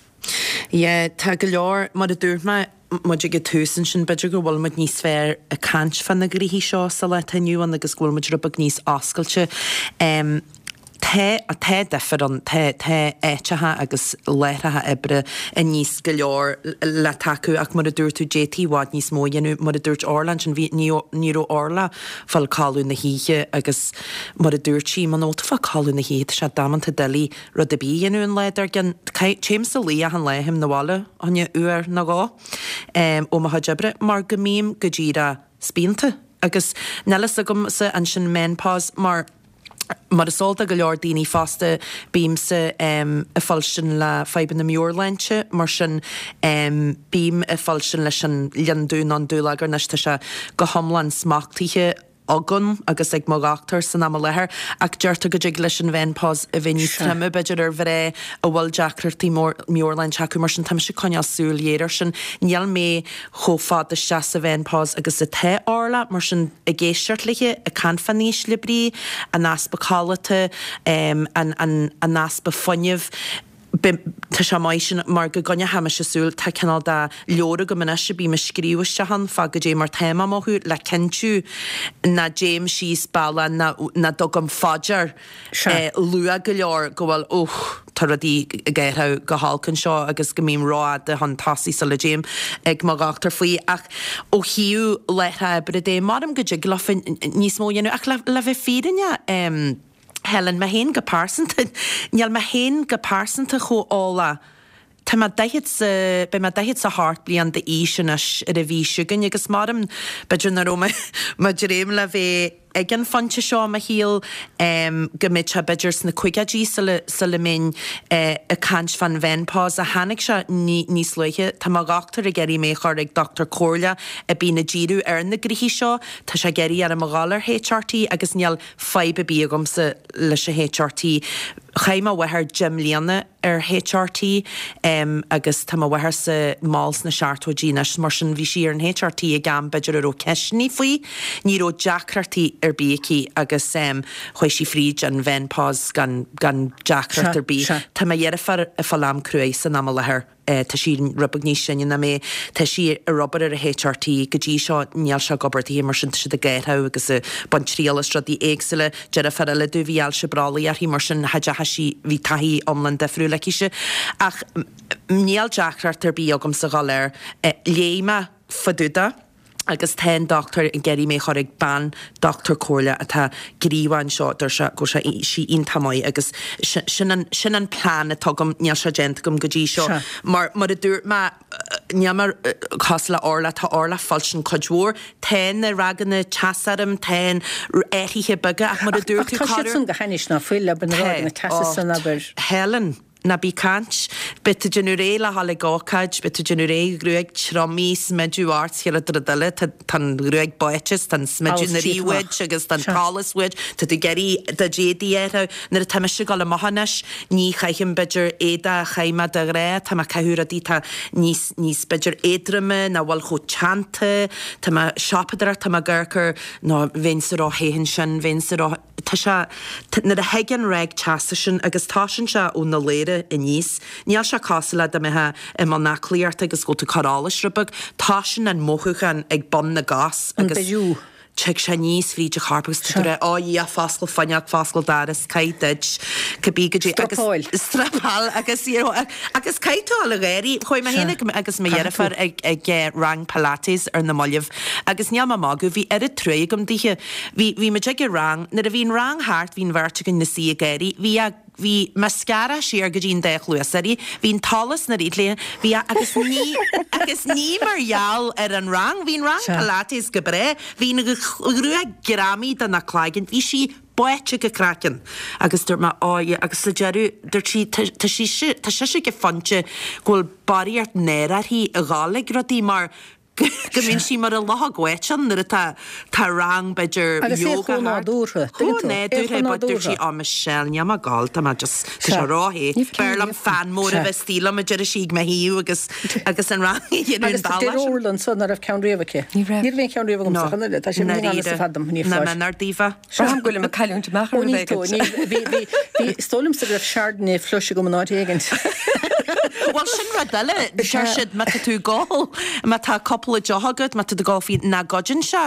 Yeah, tá go leor, mar a dúirt mé, muid ag an tús ansin, b'fhéidir go bhfuil muid níos fearr ag caint fá na gnoithí seo sa lá atá inniu ann agus go bhfuil muid rud beag níos oscailte. Tá, tá difear ann, tá, tá áiteacha agus láithreacha oibre i níos go leor le tacú ach mar a dúirt tú, d'fhéadfaí i bhfad níos mó a dhéanamh. Mar a dúirt Orla ansin, bhí, ní, ní raibh Orla ag fáil codladh na hoíche agus mar a dúirt sí, muna bhfuil tú ag fáil codladh na hoíche, tá sé damanta doiligh rud ar bith a dhéanamh an lá dár gcionn. Téimse a luí achan lá, théim 'na bhaile fá choinne uair nó dhó ó mo chuid oibre mar go mbím go díreach spíonta agus níl fhios agamsa ansin menopause mar mar is eol do go leor daoine fosta bímse ag fuilstin le fadhbanna meabhairshláinte mar sin bím ag fuilstin leis an lionn dubh nó an dúlagar anois tá sé go hiomlán smachtaithe agam agus ag mo dhochtúir san am i láthair, ach deirtear go dtig leis an mheineapáus a bheith níos troime, b'fhéidir, ar mhná a bhfuil deacrachtaí meabhairshláinte acu, mar sin tá mise ag coinneáil súil ghéar air sin. Níl mé chomh fada isteach sa mheineapáus agus atá Orla, mar sin ag éisteacht léi, ag caint fán ísle brí, an easpa codlata, an an easpa fuinnimh, Tá sé maith sin mar go gcoinneoidh mise súil, tá cineál de leabhar agam anois a bím ag scríobh isteach ann fá goidé mar táim á mothú le cinntiú ná dtéim síos bealach ná ná dtugaim fá dear luath go leor go bhfuil oh tá rudaí ag athrú go holc anseo agus go mbím rófhada chun tosaigh sula dtéim ag mo dhochtúir faoi. Ach ó thaobh láithreacha oibre de, maram go dtig leofa níos mó a dhéanamh ach le le bheith fírinneach, Helen, mé féin go pearsanta, níl mé féin go pearsanta chomh eolach. Tá mé daichead 's a, beidh mé daichead 's a hocht bliain d'aois anois ar an mhí seo chugainn agus maram, b'fhéidir nach raibh mé mo dhréim le bheith ag an phointe seo i mo shaol, go mbeadh sé b'fhéidir sna caogaidí sula, sula mbeinn ag caint fán mheineapáus ach tháinig sé níos luaithe. Tá mo dhochtúir ag iarraidh mé a chur ag dochtúir comhairleach a bíonn ag díriú ar na gnoithí seo. Tá sé ag iarraidh orm a dhul ar H R T agus níl fadhb ar bith agamsa leis an H R T. Chaith mo mháthair deich mbliana ar H R T agus tá mo mháthairse mall sna seachtóidí anois, mar sin bhí sí ar an H R T ag am b'fhéidir a raibh ceisteanna faoi. Ní raibh deacrachtaí ar bith aici agus chuaigh sí fríd an mheineapáus gan gan deacracht ar bith. Tá mo dheirfiúr ag fáil am cruaidh san am i láthair. Tá sí rud beag níos sine ná mé. Tá sí ar obair ar an H R T. Go dtí seo níl sé ag obair daoithe mar sin tá siad ag athrú agus ag baint triail as rudaí éagsúla. Deirfiúr eile domh bhí ailse brollaigh uirthi mar sin cha dteachaigh sí, bhí taithí iomlán difriúil aicise. Ach níl deacracht ar bith agamsa dhul air. Léigh mé fá dtaobh de. Agus tá an dochtúir ag iarraidh mé a chur ag bean dochtúir comhairle atá gníomhach anseo, deir sé go bhfuil sé sí iontach maith agus sin an sin an plean atá agam, níl sé déanta agam go dtí seo
Sea.
mar mar a dúirt mé níl mé cosúil le Orla, tá Orla ag fuilstin cuid mhór, tá na ráigeanna teasa orm, tá an athruithe beaga ach mar a
Ach
dúirt
ach
tú
tá siad
corruair
san go hainnis ná fuil, abair na
Tá,
ráigeanna teasa
ó
san, abair.
Helen. Ná bí ag caint. Beidh tú ag déanamh réidh le dhul ag ócáid, beidh tú ag déanamh réidh, gruaig triomaithe, smideadh ort, is chéile rud eile, tá tá an ghruaig báite is tá an smideadh
Allas
na
tite
rith
amach.
uait agus tá an
Sea.
t-allas uait, tá tú ag iarraidh do d'éadaí a athrú. Nuair atá mise ag dul amach anois, ní chaithim b'fhéidir éadaí a chaith mé de ghnáth, tá mé ag caitheamh rudaí atá níos níos b'fhéidir éadroime, nach bhfuil chomh teannta, tá mé ag siopadóireacht, tá mé ag amharc ar nó bheinnse ró-the ansin, bheinnse ró tá sé nuair a thig an ráig teasa sin agus tosaíonn sé ó na ladhra aníos, níl sé cosúil le dá mbeifeá i mbun aclaíochta agus go bhfuil tú ag cur allais rud beag, tosaíonn an mothúchán ag bun na gcos
An
agus
beiriú.
tig sé aníos fríd an chorp agus tá tú
Sea.
ag rá, "Ó a Dhia, foscail fuinneog, foscail doras, caith duit, cibé goidé agus
Struppáil.
struppáil agus you know, agus caithfidh tú a dhul ag gáirí. Chuaigh mé
Sea.
féin ag agus mo
Caithfidh
dheirfiúr
tú.
ag ag eh, rang Pilates ar na mallaibh agus níl mé ag magadh, bhí oiread truaí agam dithe. Bhí bhí muid ag an rang, nuair a bhí an rang thart bhí an bheirt againn 'na suí ag gáirí, bhí a bhí mascara siar go dtí an dá chluas uirthi, bhí an t-allas 'na rith léi, bhí a agus ní agus ní mar gheall ar an rang, bhí an rang
Sea.
Pilates go breá, bhí an ghruaig greamaithe de na cloigeann, bhí sí báite go craiceann. Agus dúirt mé "Ó yeah" agus sa deireadh dúirt sí tá tá sí tá sise ag an phointe go bhfuil barraíocht náire uirthi a dhul ag rudaí mar go go mbíonn sí mar a luchóg bháite nuair atá tá rang b'fhéidir
Agus é
yoga
chomh
thart.
nádúrtha,
Chomh
tuigeann tú, é
nádúrtha,
chomh
but dúirt sí
nádúrtha.
"Ó Michelle, níl mé ag gabháil, tá mé just tá sé
Sea.
ró-the.
Níl
B'fhearr liom
ceann
fan mór a
Sea.
bheith istigh liom a deir sí ag mo thaobh agus agus an rang a dhéanamh an
Agus
bealach
deir
sin.
Orla ansan nach raibh ceann riamh aici.
Ní raibh.
Ní raibh aon cheann riamh
No,
agamsa, chun tá sé mín
ndáiríre.
fad dom, ní
Na
fáis.
mé nár daofa.
Braithim go bhfuil mé ag cailliúint amach ar
Ó
rud
ní tú,
éigin.
ní bhí bhí bhí is dóigh liomsa go raibh Chardonnay flush agam an áit éigin.
Well sin rud eile, deir siad má tá tú ag gol, má tá cúpla deoch agat, má tá tú ag gol faoi ná goideann sé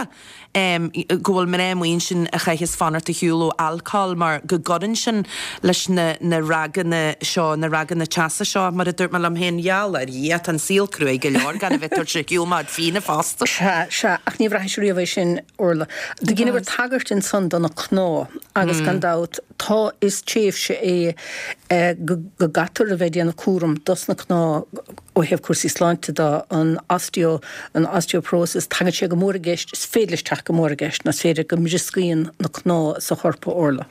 um, go bhfuil mná amuigh sin a chaitheas fanacht ar shiúl ó alcohol mar go gcuireann sin leis na, na ráigeanna seo, na ráigeanna teasa seo, mar a dúirt mé liom féin gheall ar Dhia, tá an saol cruaidh go leor gan a bheith tabhairt ar shiúl mar fíona fosta.
Sea, sea, ach ní bhraithis riamh é sin Orla. Do dheineabhair tagairt ansan do na cnámha agus gan dabht tá is tréimhse é eh, go go gcaithfear a bheith ag déanamh cúram dos na cnámha ó thaobh cúrsaí sláinte de an osteo an osteoporosis tagann sé go mór i gceist is féidir leis teacht go mór i gceist nó is féidir go mbrioscaíonn na cnámha sa chorp Orla.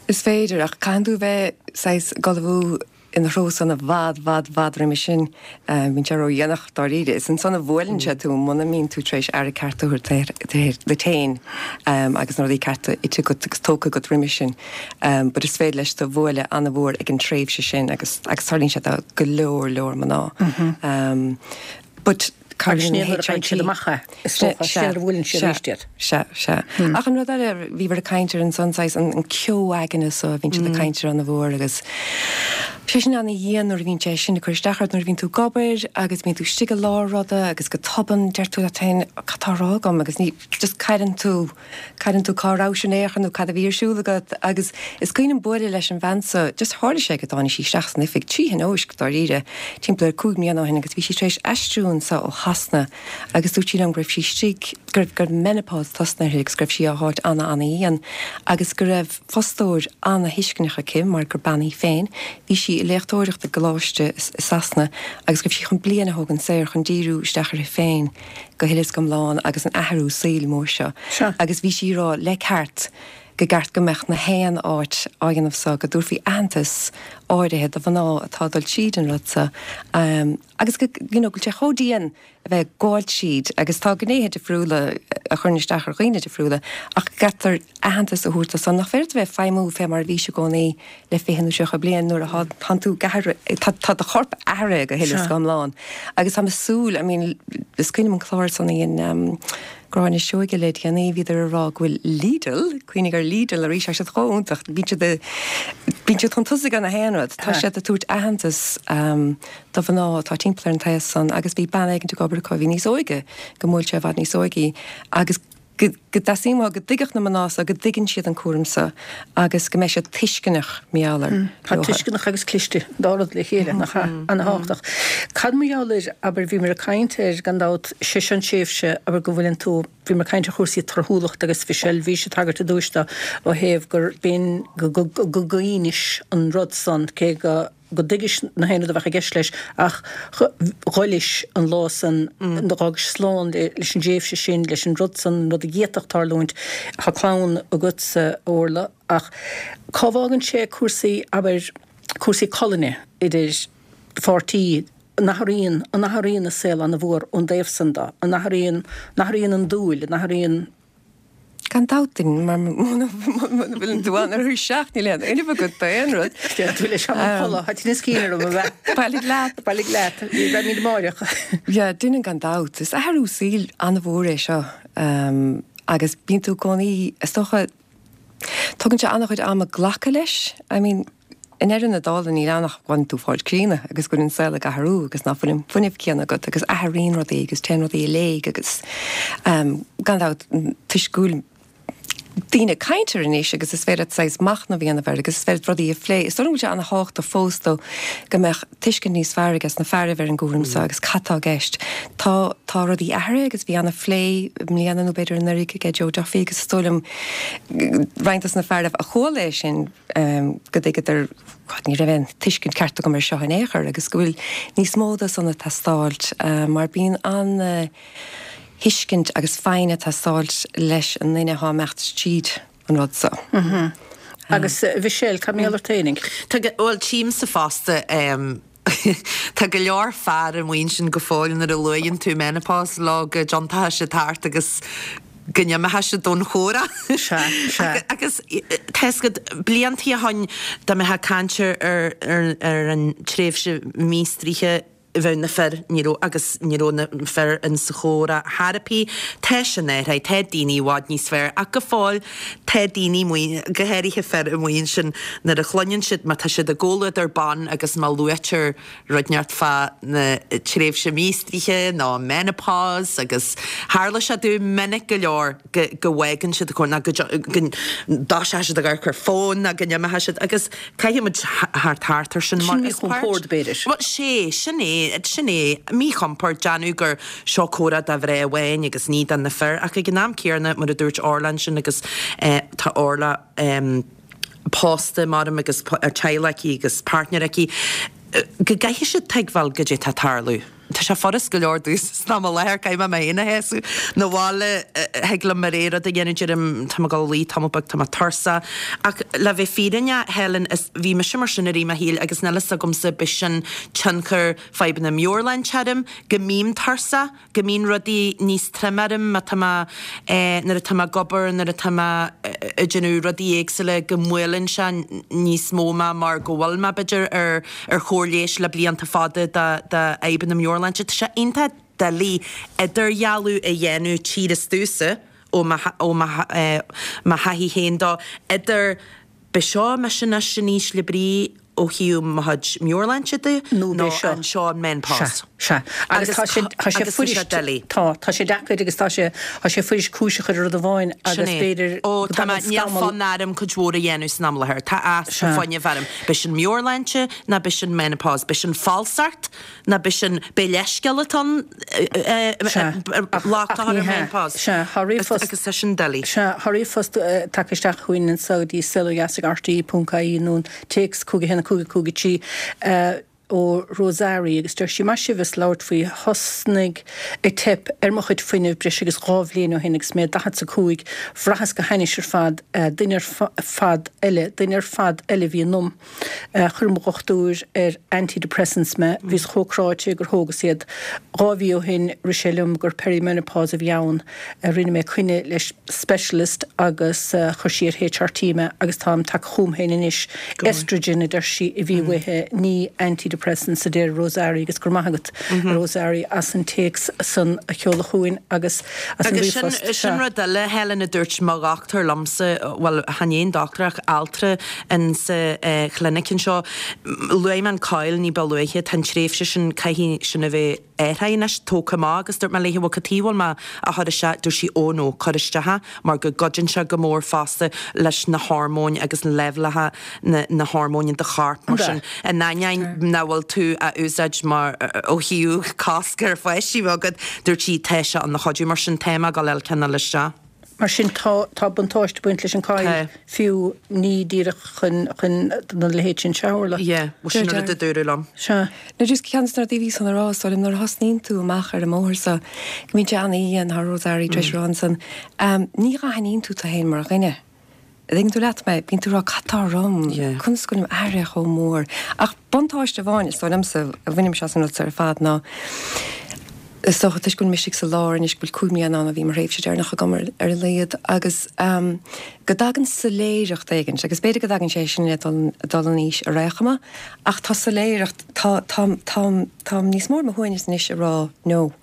Is féidir ach caithfidh tú bheith saghas ag ullmhú ina threo san i bhfad bhfad bhfad roimhe sin bíonn sé ródhéanach dáiríre. Is ansan a bhuaileann sé tú muna mbíonn tú tar éis aire ceart a thabhairt duit féin agus na rudaí cearta ite agat agus tógtha agat roimhe sin. Um, but is féidir leis do bhualadh an-mhór ag an tréimhse sin agus agus tarlaíonn sé do go leor leor mná. Um, but
Agus sin é nuair a faigheann siad amach é, is dócha, sin nuair a bhuaileann siad arís iad.
Sea, sea. Ach an rud eile bhíobhair ag caint ar ansan saghas an an ceo aigne so a bhíonn siad ag caint ar an-mhór agus sé sin an-dhian nuair a bhíonn sé sin ag cur isteach ort nuair a bhíonn tú ag obair agus bíonn tú istigh i lár ruda agus go tobann deir tú leat féin cad tá á rá agam agus ní just cailleann tú cailleann tú cá raibh sin éachan nó cad a bhí ar siúl agat agus is cuimhin liom bualadh leis an bhean so just tharla sé go dtáinig sí isteach san oifig trí thionóisc dáiríre timpeall ar cúig mbliana ó shin agus bhí sí tar éis aistriú anseo ó Shasana agus dúirt sí liom go raibh sí istigh go raibh go raibh menopause tosnaithe agus go raibh sí á háit ana ana-dhian agus go raibh fostóir ana-thuisceanach aici mar gur bean í féin bhí sí i léachtóireacht i gcoláiste i Sasana agus go raibh sí chun bliain a thógaint saor chun díriú isteach uirthi féin go huile is go hiomlán agus an athrú saoil mór seo.
Seo.
Agus bhí sí ag rá le ceart go gceart go mbeadh na haon áit á dhéanamh so go dtabharfaí aitheantas áirithe do mhná atá ag dul tríd an rud so um, agus go you know, go bhfuil sé chomh dian a bheith ag gabháil tríd agus tá gnéithe difriúla a chuireann isteach ar dhaoine difriúla ach gcaithfear aitheantas a thabhairt san nach féidir bheith feidhmiú fé mar a bhís i gcónaí le fiche nó tríocha bliain nuair a tá tú tá tá do chorp athraithe go huile is go hiomlán. Agus tá súil I mean, is cuimhin liom an clár san in um, Gráinne Seoige le déanaí bhíodar ag rá go bhfuil Lidl, cuimhnigh ar Lidl arís siad chomh bíonn siad bíonn siad chun tosaigh gach aon rud, Tá siad ag tabhairt aitheantas um, do mhná atá timpeall ar an taos san agus bhí bean éigin ag obair acu bhí níos óige go mbuail sé i bhfad níos óige agus go dteastaíonn go dtuigfeadh na mná so go dtuigeann siad an cúram so agus go mbeidh siad tuisceanach meallar.
Tá tuisceanach agus cliste dá rud le chéile nach an-tábhachtach. Cad mar gheall ar abair bhíomar ag caint ar gan dabht sé sin tréimhse abair go bhfuileann tú bhíomar ag caint ar chúrsaí torthúlacht agus bhí sé bhí sé tagairt i dtús do ó thaobh gur bíonn go go go gcaoinis an rud san cé go go dtuigis na haon rud a bheadh i gceist leis ach ghoilis an lá san d'fhágais slán leis an dtréimhse sin leis an rud san rud a d'fhéadfadh tarlúint Tá clann agatsa Orla ach cá bhfágann sé cúrsaí abair cúrsaí colainne idir pháirtí, an athraíonn, an athraíonn an saol an-mhór ón dtaobh san de, an athraíonn, an athraíonn an dúil, an athraíonn.
Gan dabht, mar muna bhfuil tú ann ar a seacht níl aon fhuinneamh agat d'aon rud.
Déan tú leis an chodladh, tá tinneas cinn orm, a bheith.
Bailigh leat.
Bailigh leat, beimid amáireach.
Yeah, déanann gan dabht. Is athrú saoil an-mhór é seo agus bíonn tú i gcónaí, is dócha, tugann sé an-chuid ama glacadh leis. I mean, i ndeireadh na dála níl ann ach go bhfuil tú ag fáil críonna agus go bhfuil an saol ag athrú agus ná fuil an fuinneamh céanna agat agus athraíonn rudaí agus téann rudaí i léig agus gan dabht toisc go bhfuil daoine ag caint air anois agus is féidir leat saghas machnamh a dhéanamh air agus is féidir leat rudaí a phlé. Is dóigh liom go bhfuil sé an-thábhachtach fós though go mbeadh tuiscint níos fearr ages na fearaibh ar an gcúram seo agus cad tá i gceist. Tá tá rudaí athraithe agus bhí an-phlé i mbliana nó b'fhéidir anuraidh aige Joe Duffy agus is dóigh liom roinnt dos na fearaibh a chuala é sin go dtuigeadar God ní raibh aon tuiscint ceart agam ar seo in aon chor agus go bhfuil níos mó de san ag teastáilt mar bíonn an thuiscint agus foighne ag teastáilt leis an nduine atá ag imeacht tríd an rud so.
Agus Mhichelle, cad mar gheall ort fhéinig?
Tá, bhuel, tchímse fosta, tá go leor fear amuigh ansin go fóill nuair a luaigheann tú menopause leo go dtiontóidh siad thart agus go n-imeoidh siad ón chomhrá.
Sea, sea.
Agus tá fhios agat, bliantaí ó shoin dá mbeifeá ag caint ar ar an tréimhse míostraithe, bheadh na fir, ní raibh, agus ní raibh na fir in sa chomhrá chor ar bith. Tá sin athraithe, tá daoine i bhfad níos fearr ach go fóill tá daoine amuigh, go háirithe fir amuigh ansin nuair a chluineann siad, má tá siad i gcomhluadar ban agus má luaitear rud inteacht fá na tréimhse míostraithe nó menopause agus tharla sé domh minic go leor go go bhfágann siad an comhrá nó go go dtoiseoidh siad ag amharc ar fón nó go n-imeoidh siad agus caithfidh muid theacht thart ar sin
mar is páirt. Sin míchompord b'fhéidir.
Bhuel sé, sin é. Sin é, míchompord, déanamh gur seo comhrá do mhná amháin agus ní do na fir, ach ag an am céanna, mar a dúirt Orla ansin agus tá Orla pósta, maram, agus teaghlach aici agus páirtnéir aici, go gcaithfidh siad tuigbheáil goidé tá ag tarlú. Tá sé furast go leor domhsa san am i láthair, caithfidh mé mé féin a shásamh. 'Na bhaile, thig liom mo rogha rud a dhéanamh, deirim, tá mé ag dul a luí tamall beag, tá mé tuirseach. Ach le bheith fírinneach, Helen, is, bhí mise mar sin i rith mo shaoil agus níl fhios agamsa, b'shin tionchar fadhbanna meabhairshláinte orm, go mbím tuirseach, go mbíonn rudaí níos troime orm má tá mé, nuair atá mé ag obair, nuair atá mé ag déanamh rudaí éagsúla, go mbuaileann sé níos mó mé mar go bhfuil mé, b'fhéidir, ar ar chóir leighis le blianta fada do fhadhbanna meabhairshláinte. Tá sé iontach doiligh idirdhealú a dhéanamh tchíthear domhsa ó mo thaithí féin dó idir b'é seo mise anois in ísle brí ó thaobh mo chuid meabhairshláinte de
nó
nó an seo an menopause.
Sea, sea. Agus tá sé, tá sé fuirist, tá, tá sé deacair agus tá sé, tá sé fuirist cúis a chur ar rud amháin agus b'fhéidir
go dtagann scamall. Níl fonn orm cuid mhór a dhéanamh san am i láthair. Tá easpa fuinnimh orm. B'shin meabhairshláinte nó b'shin menopause? B'shin falsacht nó b'shin, b'é leithscéal atá ann locht a chur ar menopause?
Sea, tá ríomhphost.
Agus tá sin doiligh.
Sea, tá ríomhphost tagtha isteach chugainn anseo go dtí saol ó dheas ag rte ponc ie nó an téacs cúig a haon a cúig a cúig a trí ó Rosari agus deir sí, Maith sibh as labhairt faoi, thosnaigh ag teip ar mo chuid fuinnimh breis agus dhá bhliain ó shin agus mé daichead 's a cúig, bhraitheas go hainnis ar fad, duine ar fad eile, duine ar fad eile a bhí ionam. Chuir mo dhochtúir ar antidepressants mé, bhíos chomh cráite gur thógas iad. Dhá mhí ó shin rith sé liom gur perimenopause a bhí ann. Rinne mé coinne le specialist agus chuir sí ar HRT mé agus táim tagtha chugam féin anois. Estrogen a deir sí a bhí uaithi, ní antidepressants a deir Rosari agus go raibh maith agat a Rosari as an téacs san a sheoladh chugainn agus as an
Agus sin,
ríomhphost.
sin rud eile, Helen, a dúirt mo dhochtúir liomsa, bhuel, chan é an dochtúir ach altra in sa chlinic anseo, luaigh mé an coil ní ba luaithe, tá an tréimhse sin, caithfidh sin a bheith athraithe anois, tógtha amach agus dúirt mé léi, bhuel cad chuige a bhfuil mé á chur isteach, dúirt sí, oh no, cuir isteach é mar go gcuidíonn sé go mór fosta leis na hormóin agus leibhéalacha na na hormóin in do chorp mar sin in ainneoin nach bhfuil tú á úsáid mar ó thaobh cosc ar pháistí a bheith agat, dúirt sí, tá sé ina chuidiú mar sin tá mé ag dul a fháil ceann eile isteach.
Mar sin tá tá buntáiste ag baint leis an coil
Tá.
fiú, ní díreach chun chun na leithéid sin seo a tharla.
Yeah, bhuel sin an rud a dúradh liom.
Sea.
No just ceann de na rudaí a bhíos chun a rá, is dóigh liom, nuair a thosnaíonn tú amach ar an mbóthar seo, go mbíonn sé an-íon, tá Rosari tar éis a rá ansan, ní aithníonn tú tú féin mar dhuine. An dtuigeann tú leat mé, bíonn tú ag rá cad tá orm, conas go bhfuilim athraithe chomh mór. Ach buntáiste amháin, is dóigh liomsa, a bhainimse as an rud seo ar fad ná, is dócha toisc go bhfuil mise sa lár anois, go bhfuil cúig mbliana ann ó bhí mo thréimhse deireanach agam ar a laghad agus go dtagann soiléireacht éigin, agus b'fhéidir go dtagann sé sin le dul dul in aois ar aon chuma, ach tá soiléireacht, tá tá tá táim níos mó ar mo shuaimhneas anois a rá no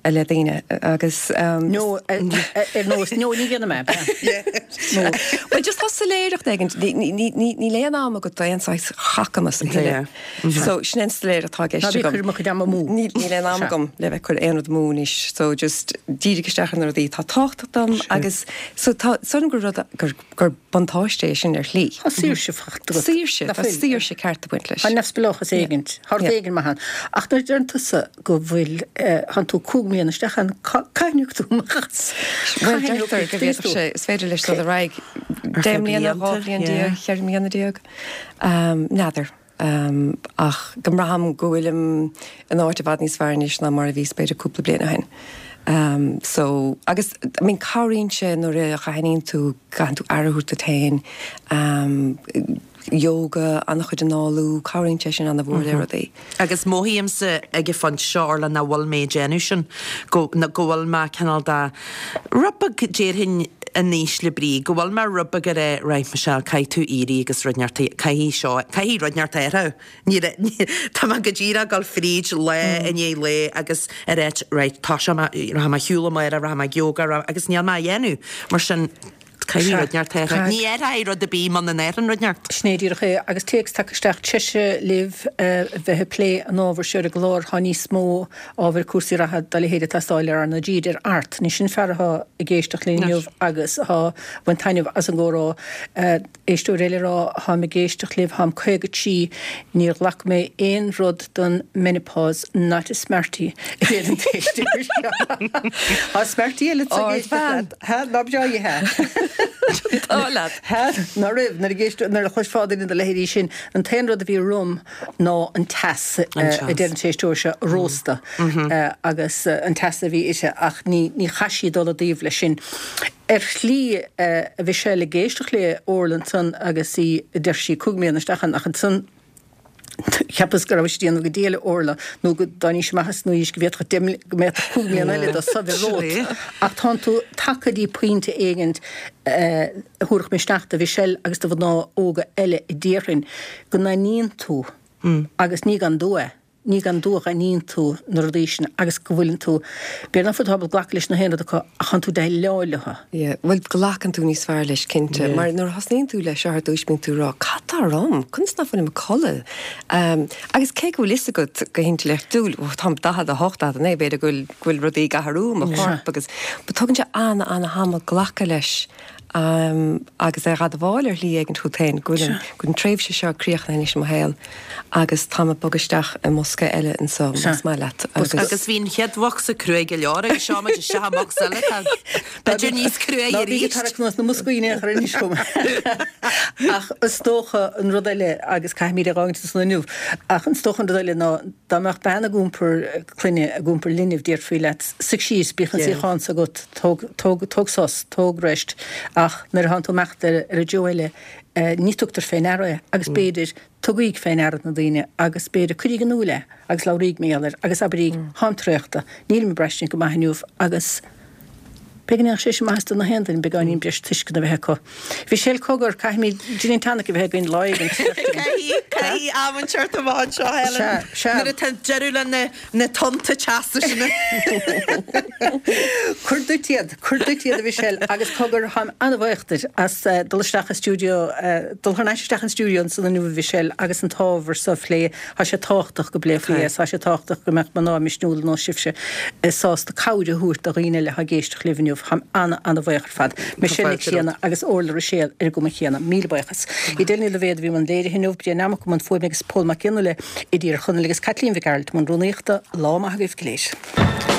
le daoine agus.
No ar nós no ní dhéanfaidh mé.
Well just tá soiléireacht éigin, níl aon am agat d'aon saghas chacamas a thuilleadh. So sin an soiléireacht atá i gceist agam.
Ná bí ag cur mo chuid ama amú.
Níl aon am agam le bheith ag cur aon rud amú anois so just dírigh isteach ar na rudaí atá tábhachtach dom agus so tá súil agam gur rud gur gur buntáiste é sin ar shlí.
Tá saoirse faighte agat.
Saoirse, tá saoirse ceart ag baint leis.
Tá neamhspleáchas éigin, tá rud éigin maith ann. Ach nuair a deireann tusa go bhfuil, tánn tú cúig mbliana isteach ann, cathain a thiocfaidh tú amach as?
Bhuel, deirtear go bhféadfadh sé, is féidir leis dul ar aghaidh deich mbliana, dhá bhliain déag, cheithre mbliana déag. N'fheadar. Ach go mbraithim go bhfuilim in áit i bhfad níos fearr anois ná mar a bhíos b'fhéidir cúpla bliain ó shin. So, agus, I mean, cabhraíonn sé nuair a aithníonn tú, gcaitheann tú aire a thabhairt duit féin, yoga, an-chuid análú, cabhraíonn sé sin an-mhór le rudaí.
Agus mothaímse ag an phointe seo, Orla, nach bhfuil mé ag déanamh sin, go, go bhfuil mé cineál de, rud beag, déarfainn, in ísle brí, go bhfuil mé rud beag ar é, right, Michelle, caithfidh tú éirí agus rud inteacht, caithfidh seo, caithfidh rud inteacht athrú. Ní, tá mé go díreach ag dul fríd lá i ndiaidh lae agus ag ráit, right, tá sé, rachaidh mé ar shiúl amárach, rachaidh mé ag yoga, agus níl mé á dhéanamh. Mar sin, caithfidh rud inteacht athrú. Ní athróidh rud ar bith muna n-athraíonn rud inteacht.
Sin é díreach é. Agus téacs tagtha isteach, treise libh a bheith ag plé an ábhair seo ar an gclár. Tá níos mó ábhair cúrsaí reatha dá leithéid ag teastáil ar R na G, a deir Art. Anois sin fear atá ag éisteacht linn inniu agus atá ag baint taitneamh as an gcomhrá. Éisteoir eile ag rá, Táim ag éisteacht libh, táim caoga trí, níor ghlac mé aon rud don menopause, not a smartie, a deir an t-éisteoir seo. Tá smartie eile ag éisteacht leat. Ha, ná breá í, ha?
Tá leat.
Ha, ná raibh, nuair a éist, nuair a chloisfeá duine dá leithéidí sin, an t-aon rud a bhí romham ná an teas, a deir an t-éisteoir seo, rósta, agus an teas a bhí uirthi, ach ní, ní chaith sí dul i dtaobh leis sin. Ar shlí, a Mhichelle, ag éisteacht le Orla ansan agus í, a deir sí, cúig mbliana isteach ann, ach ansan cheapas go raibh sí ag déanamh go diail, Orla, nó go dtáinís amach as an aois go bhféadfadh deich mbliana, go mbeadh cúig mbliana eile dá soimhe romhat. Ach tánn tú tagtha dtí pointe éigint a thabharfadh misneach do Mhichelle agus do mhná óga eile a déarfainn, go n-aithníonn tú, agus ní gan dua é. Ní gan dua a aithníonn tú na rudaí sin agus go bhfuileann tú, b'fhéidir nach bhfuil tú ábalta glacadh leis na haon rud acu ach tánn tú déileáil leo.
Yeah, bhuel glacann tú níos fearr leis cinnte, mar nuair a thosnaíonn tú leis seo ar dtús bíonn tú ag rá cad tá orm, conas nach bhfuilim ag codladh? Agus cé go bhfuil fhios agat go hintleachtúil, oh táim daichead a hocht, daichead a naoi, b'fhéidir go bhfuil, go bhfuil rudaí ag athrú i mo chorp agus, but tugann sé an-an-thamall glacadh leis. agus é a admháil ar shlí éigin chugat féin go bhfuil an, go bhfuil an tréimhse seo críochnaithe anois i mo shaol agus táim ag bogadh isteach i mbosca eile anso, más maith leat,
agus. Agus bhí an chéad bhocsa cruaidh go leor agus seo muid isteach i mbocsa eile atá b'fhéidir níos cruaidhe
Ná bígí
arís.
ag tarrac anuas na mboscaí in aon chor anois chugam. Ach is dócha an rud eile, agus caithfimid é a dh'fhágaint ansan inniu, ach is dócha an rud eile ná dá mbeadh bean ag iompar clainne, ag iompar linbh, déarfaí leat, suigh síos, bíodh an suíochán so agat, tóg, tóg, tóg sos, tóg rest, ach nuair a thánn tú ag imeacht ar, ar an dtreo eile, ní tugtar fé ndeara é, agus b'fhéidir, tugaíg fé ndeara na daoine, agus b'fhéidir, cuiríg in iúil é, agus labhraíg mar gheall air, agus abraíg, táim traochta, nílim ag braistint go maith inniu, agus b'fhéidir go ndéanfadh sé sin maitheas do na haon duine, beagáinín breis tuisceana a bheith acu. Michelle, cogar, caithfimid gin and tonic a bheith againn lá éigin.
Caithfidh, caithfidh am inteacht amach anseo, Helen.
Sea, sea.
Nuair atá deireadh le na, na tonnta teasa sin.
Cuir duit iad, cuir duit iad a Mhichelle, agus cogar, táim an-bhuíoch duit as dul isteach i stiúideo, dul thar n-ais isteach an stiúideo ansan inniu a Mhichelle agus an t-ábhar so a phlé. Tá sé tábhachtach go bpléifí é, tá sé tábhachtach go mbeadh mná misniúla ar nós sibhse sásta cabhair a thabhairt do dhaoine eile atá ag éisteacht libh inniu. Táim an-an-bhuíoch ar fad. Michelle Nic Grianna agus Orla Ruiséal ar an gcuma chéanna. Míle buíochas. Edel Ní Loibhéad a bhí i mbun léirithe inniu, Brian Mac i mbun fuaime agus Pól Mac Fhionnghaile i dTír Chonaill agus Caitlín Mhic Gearailt i mbun rúnaíochta. Lá maith agaibh go léir.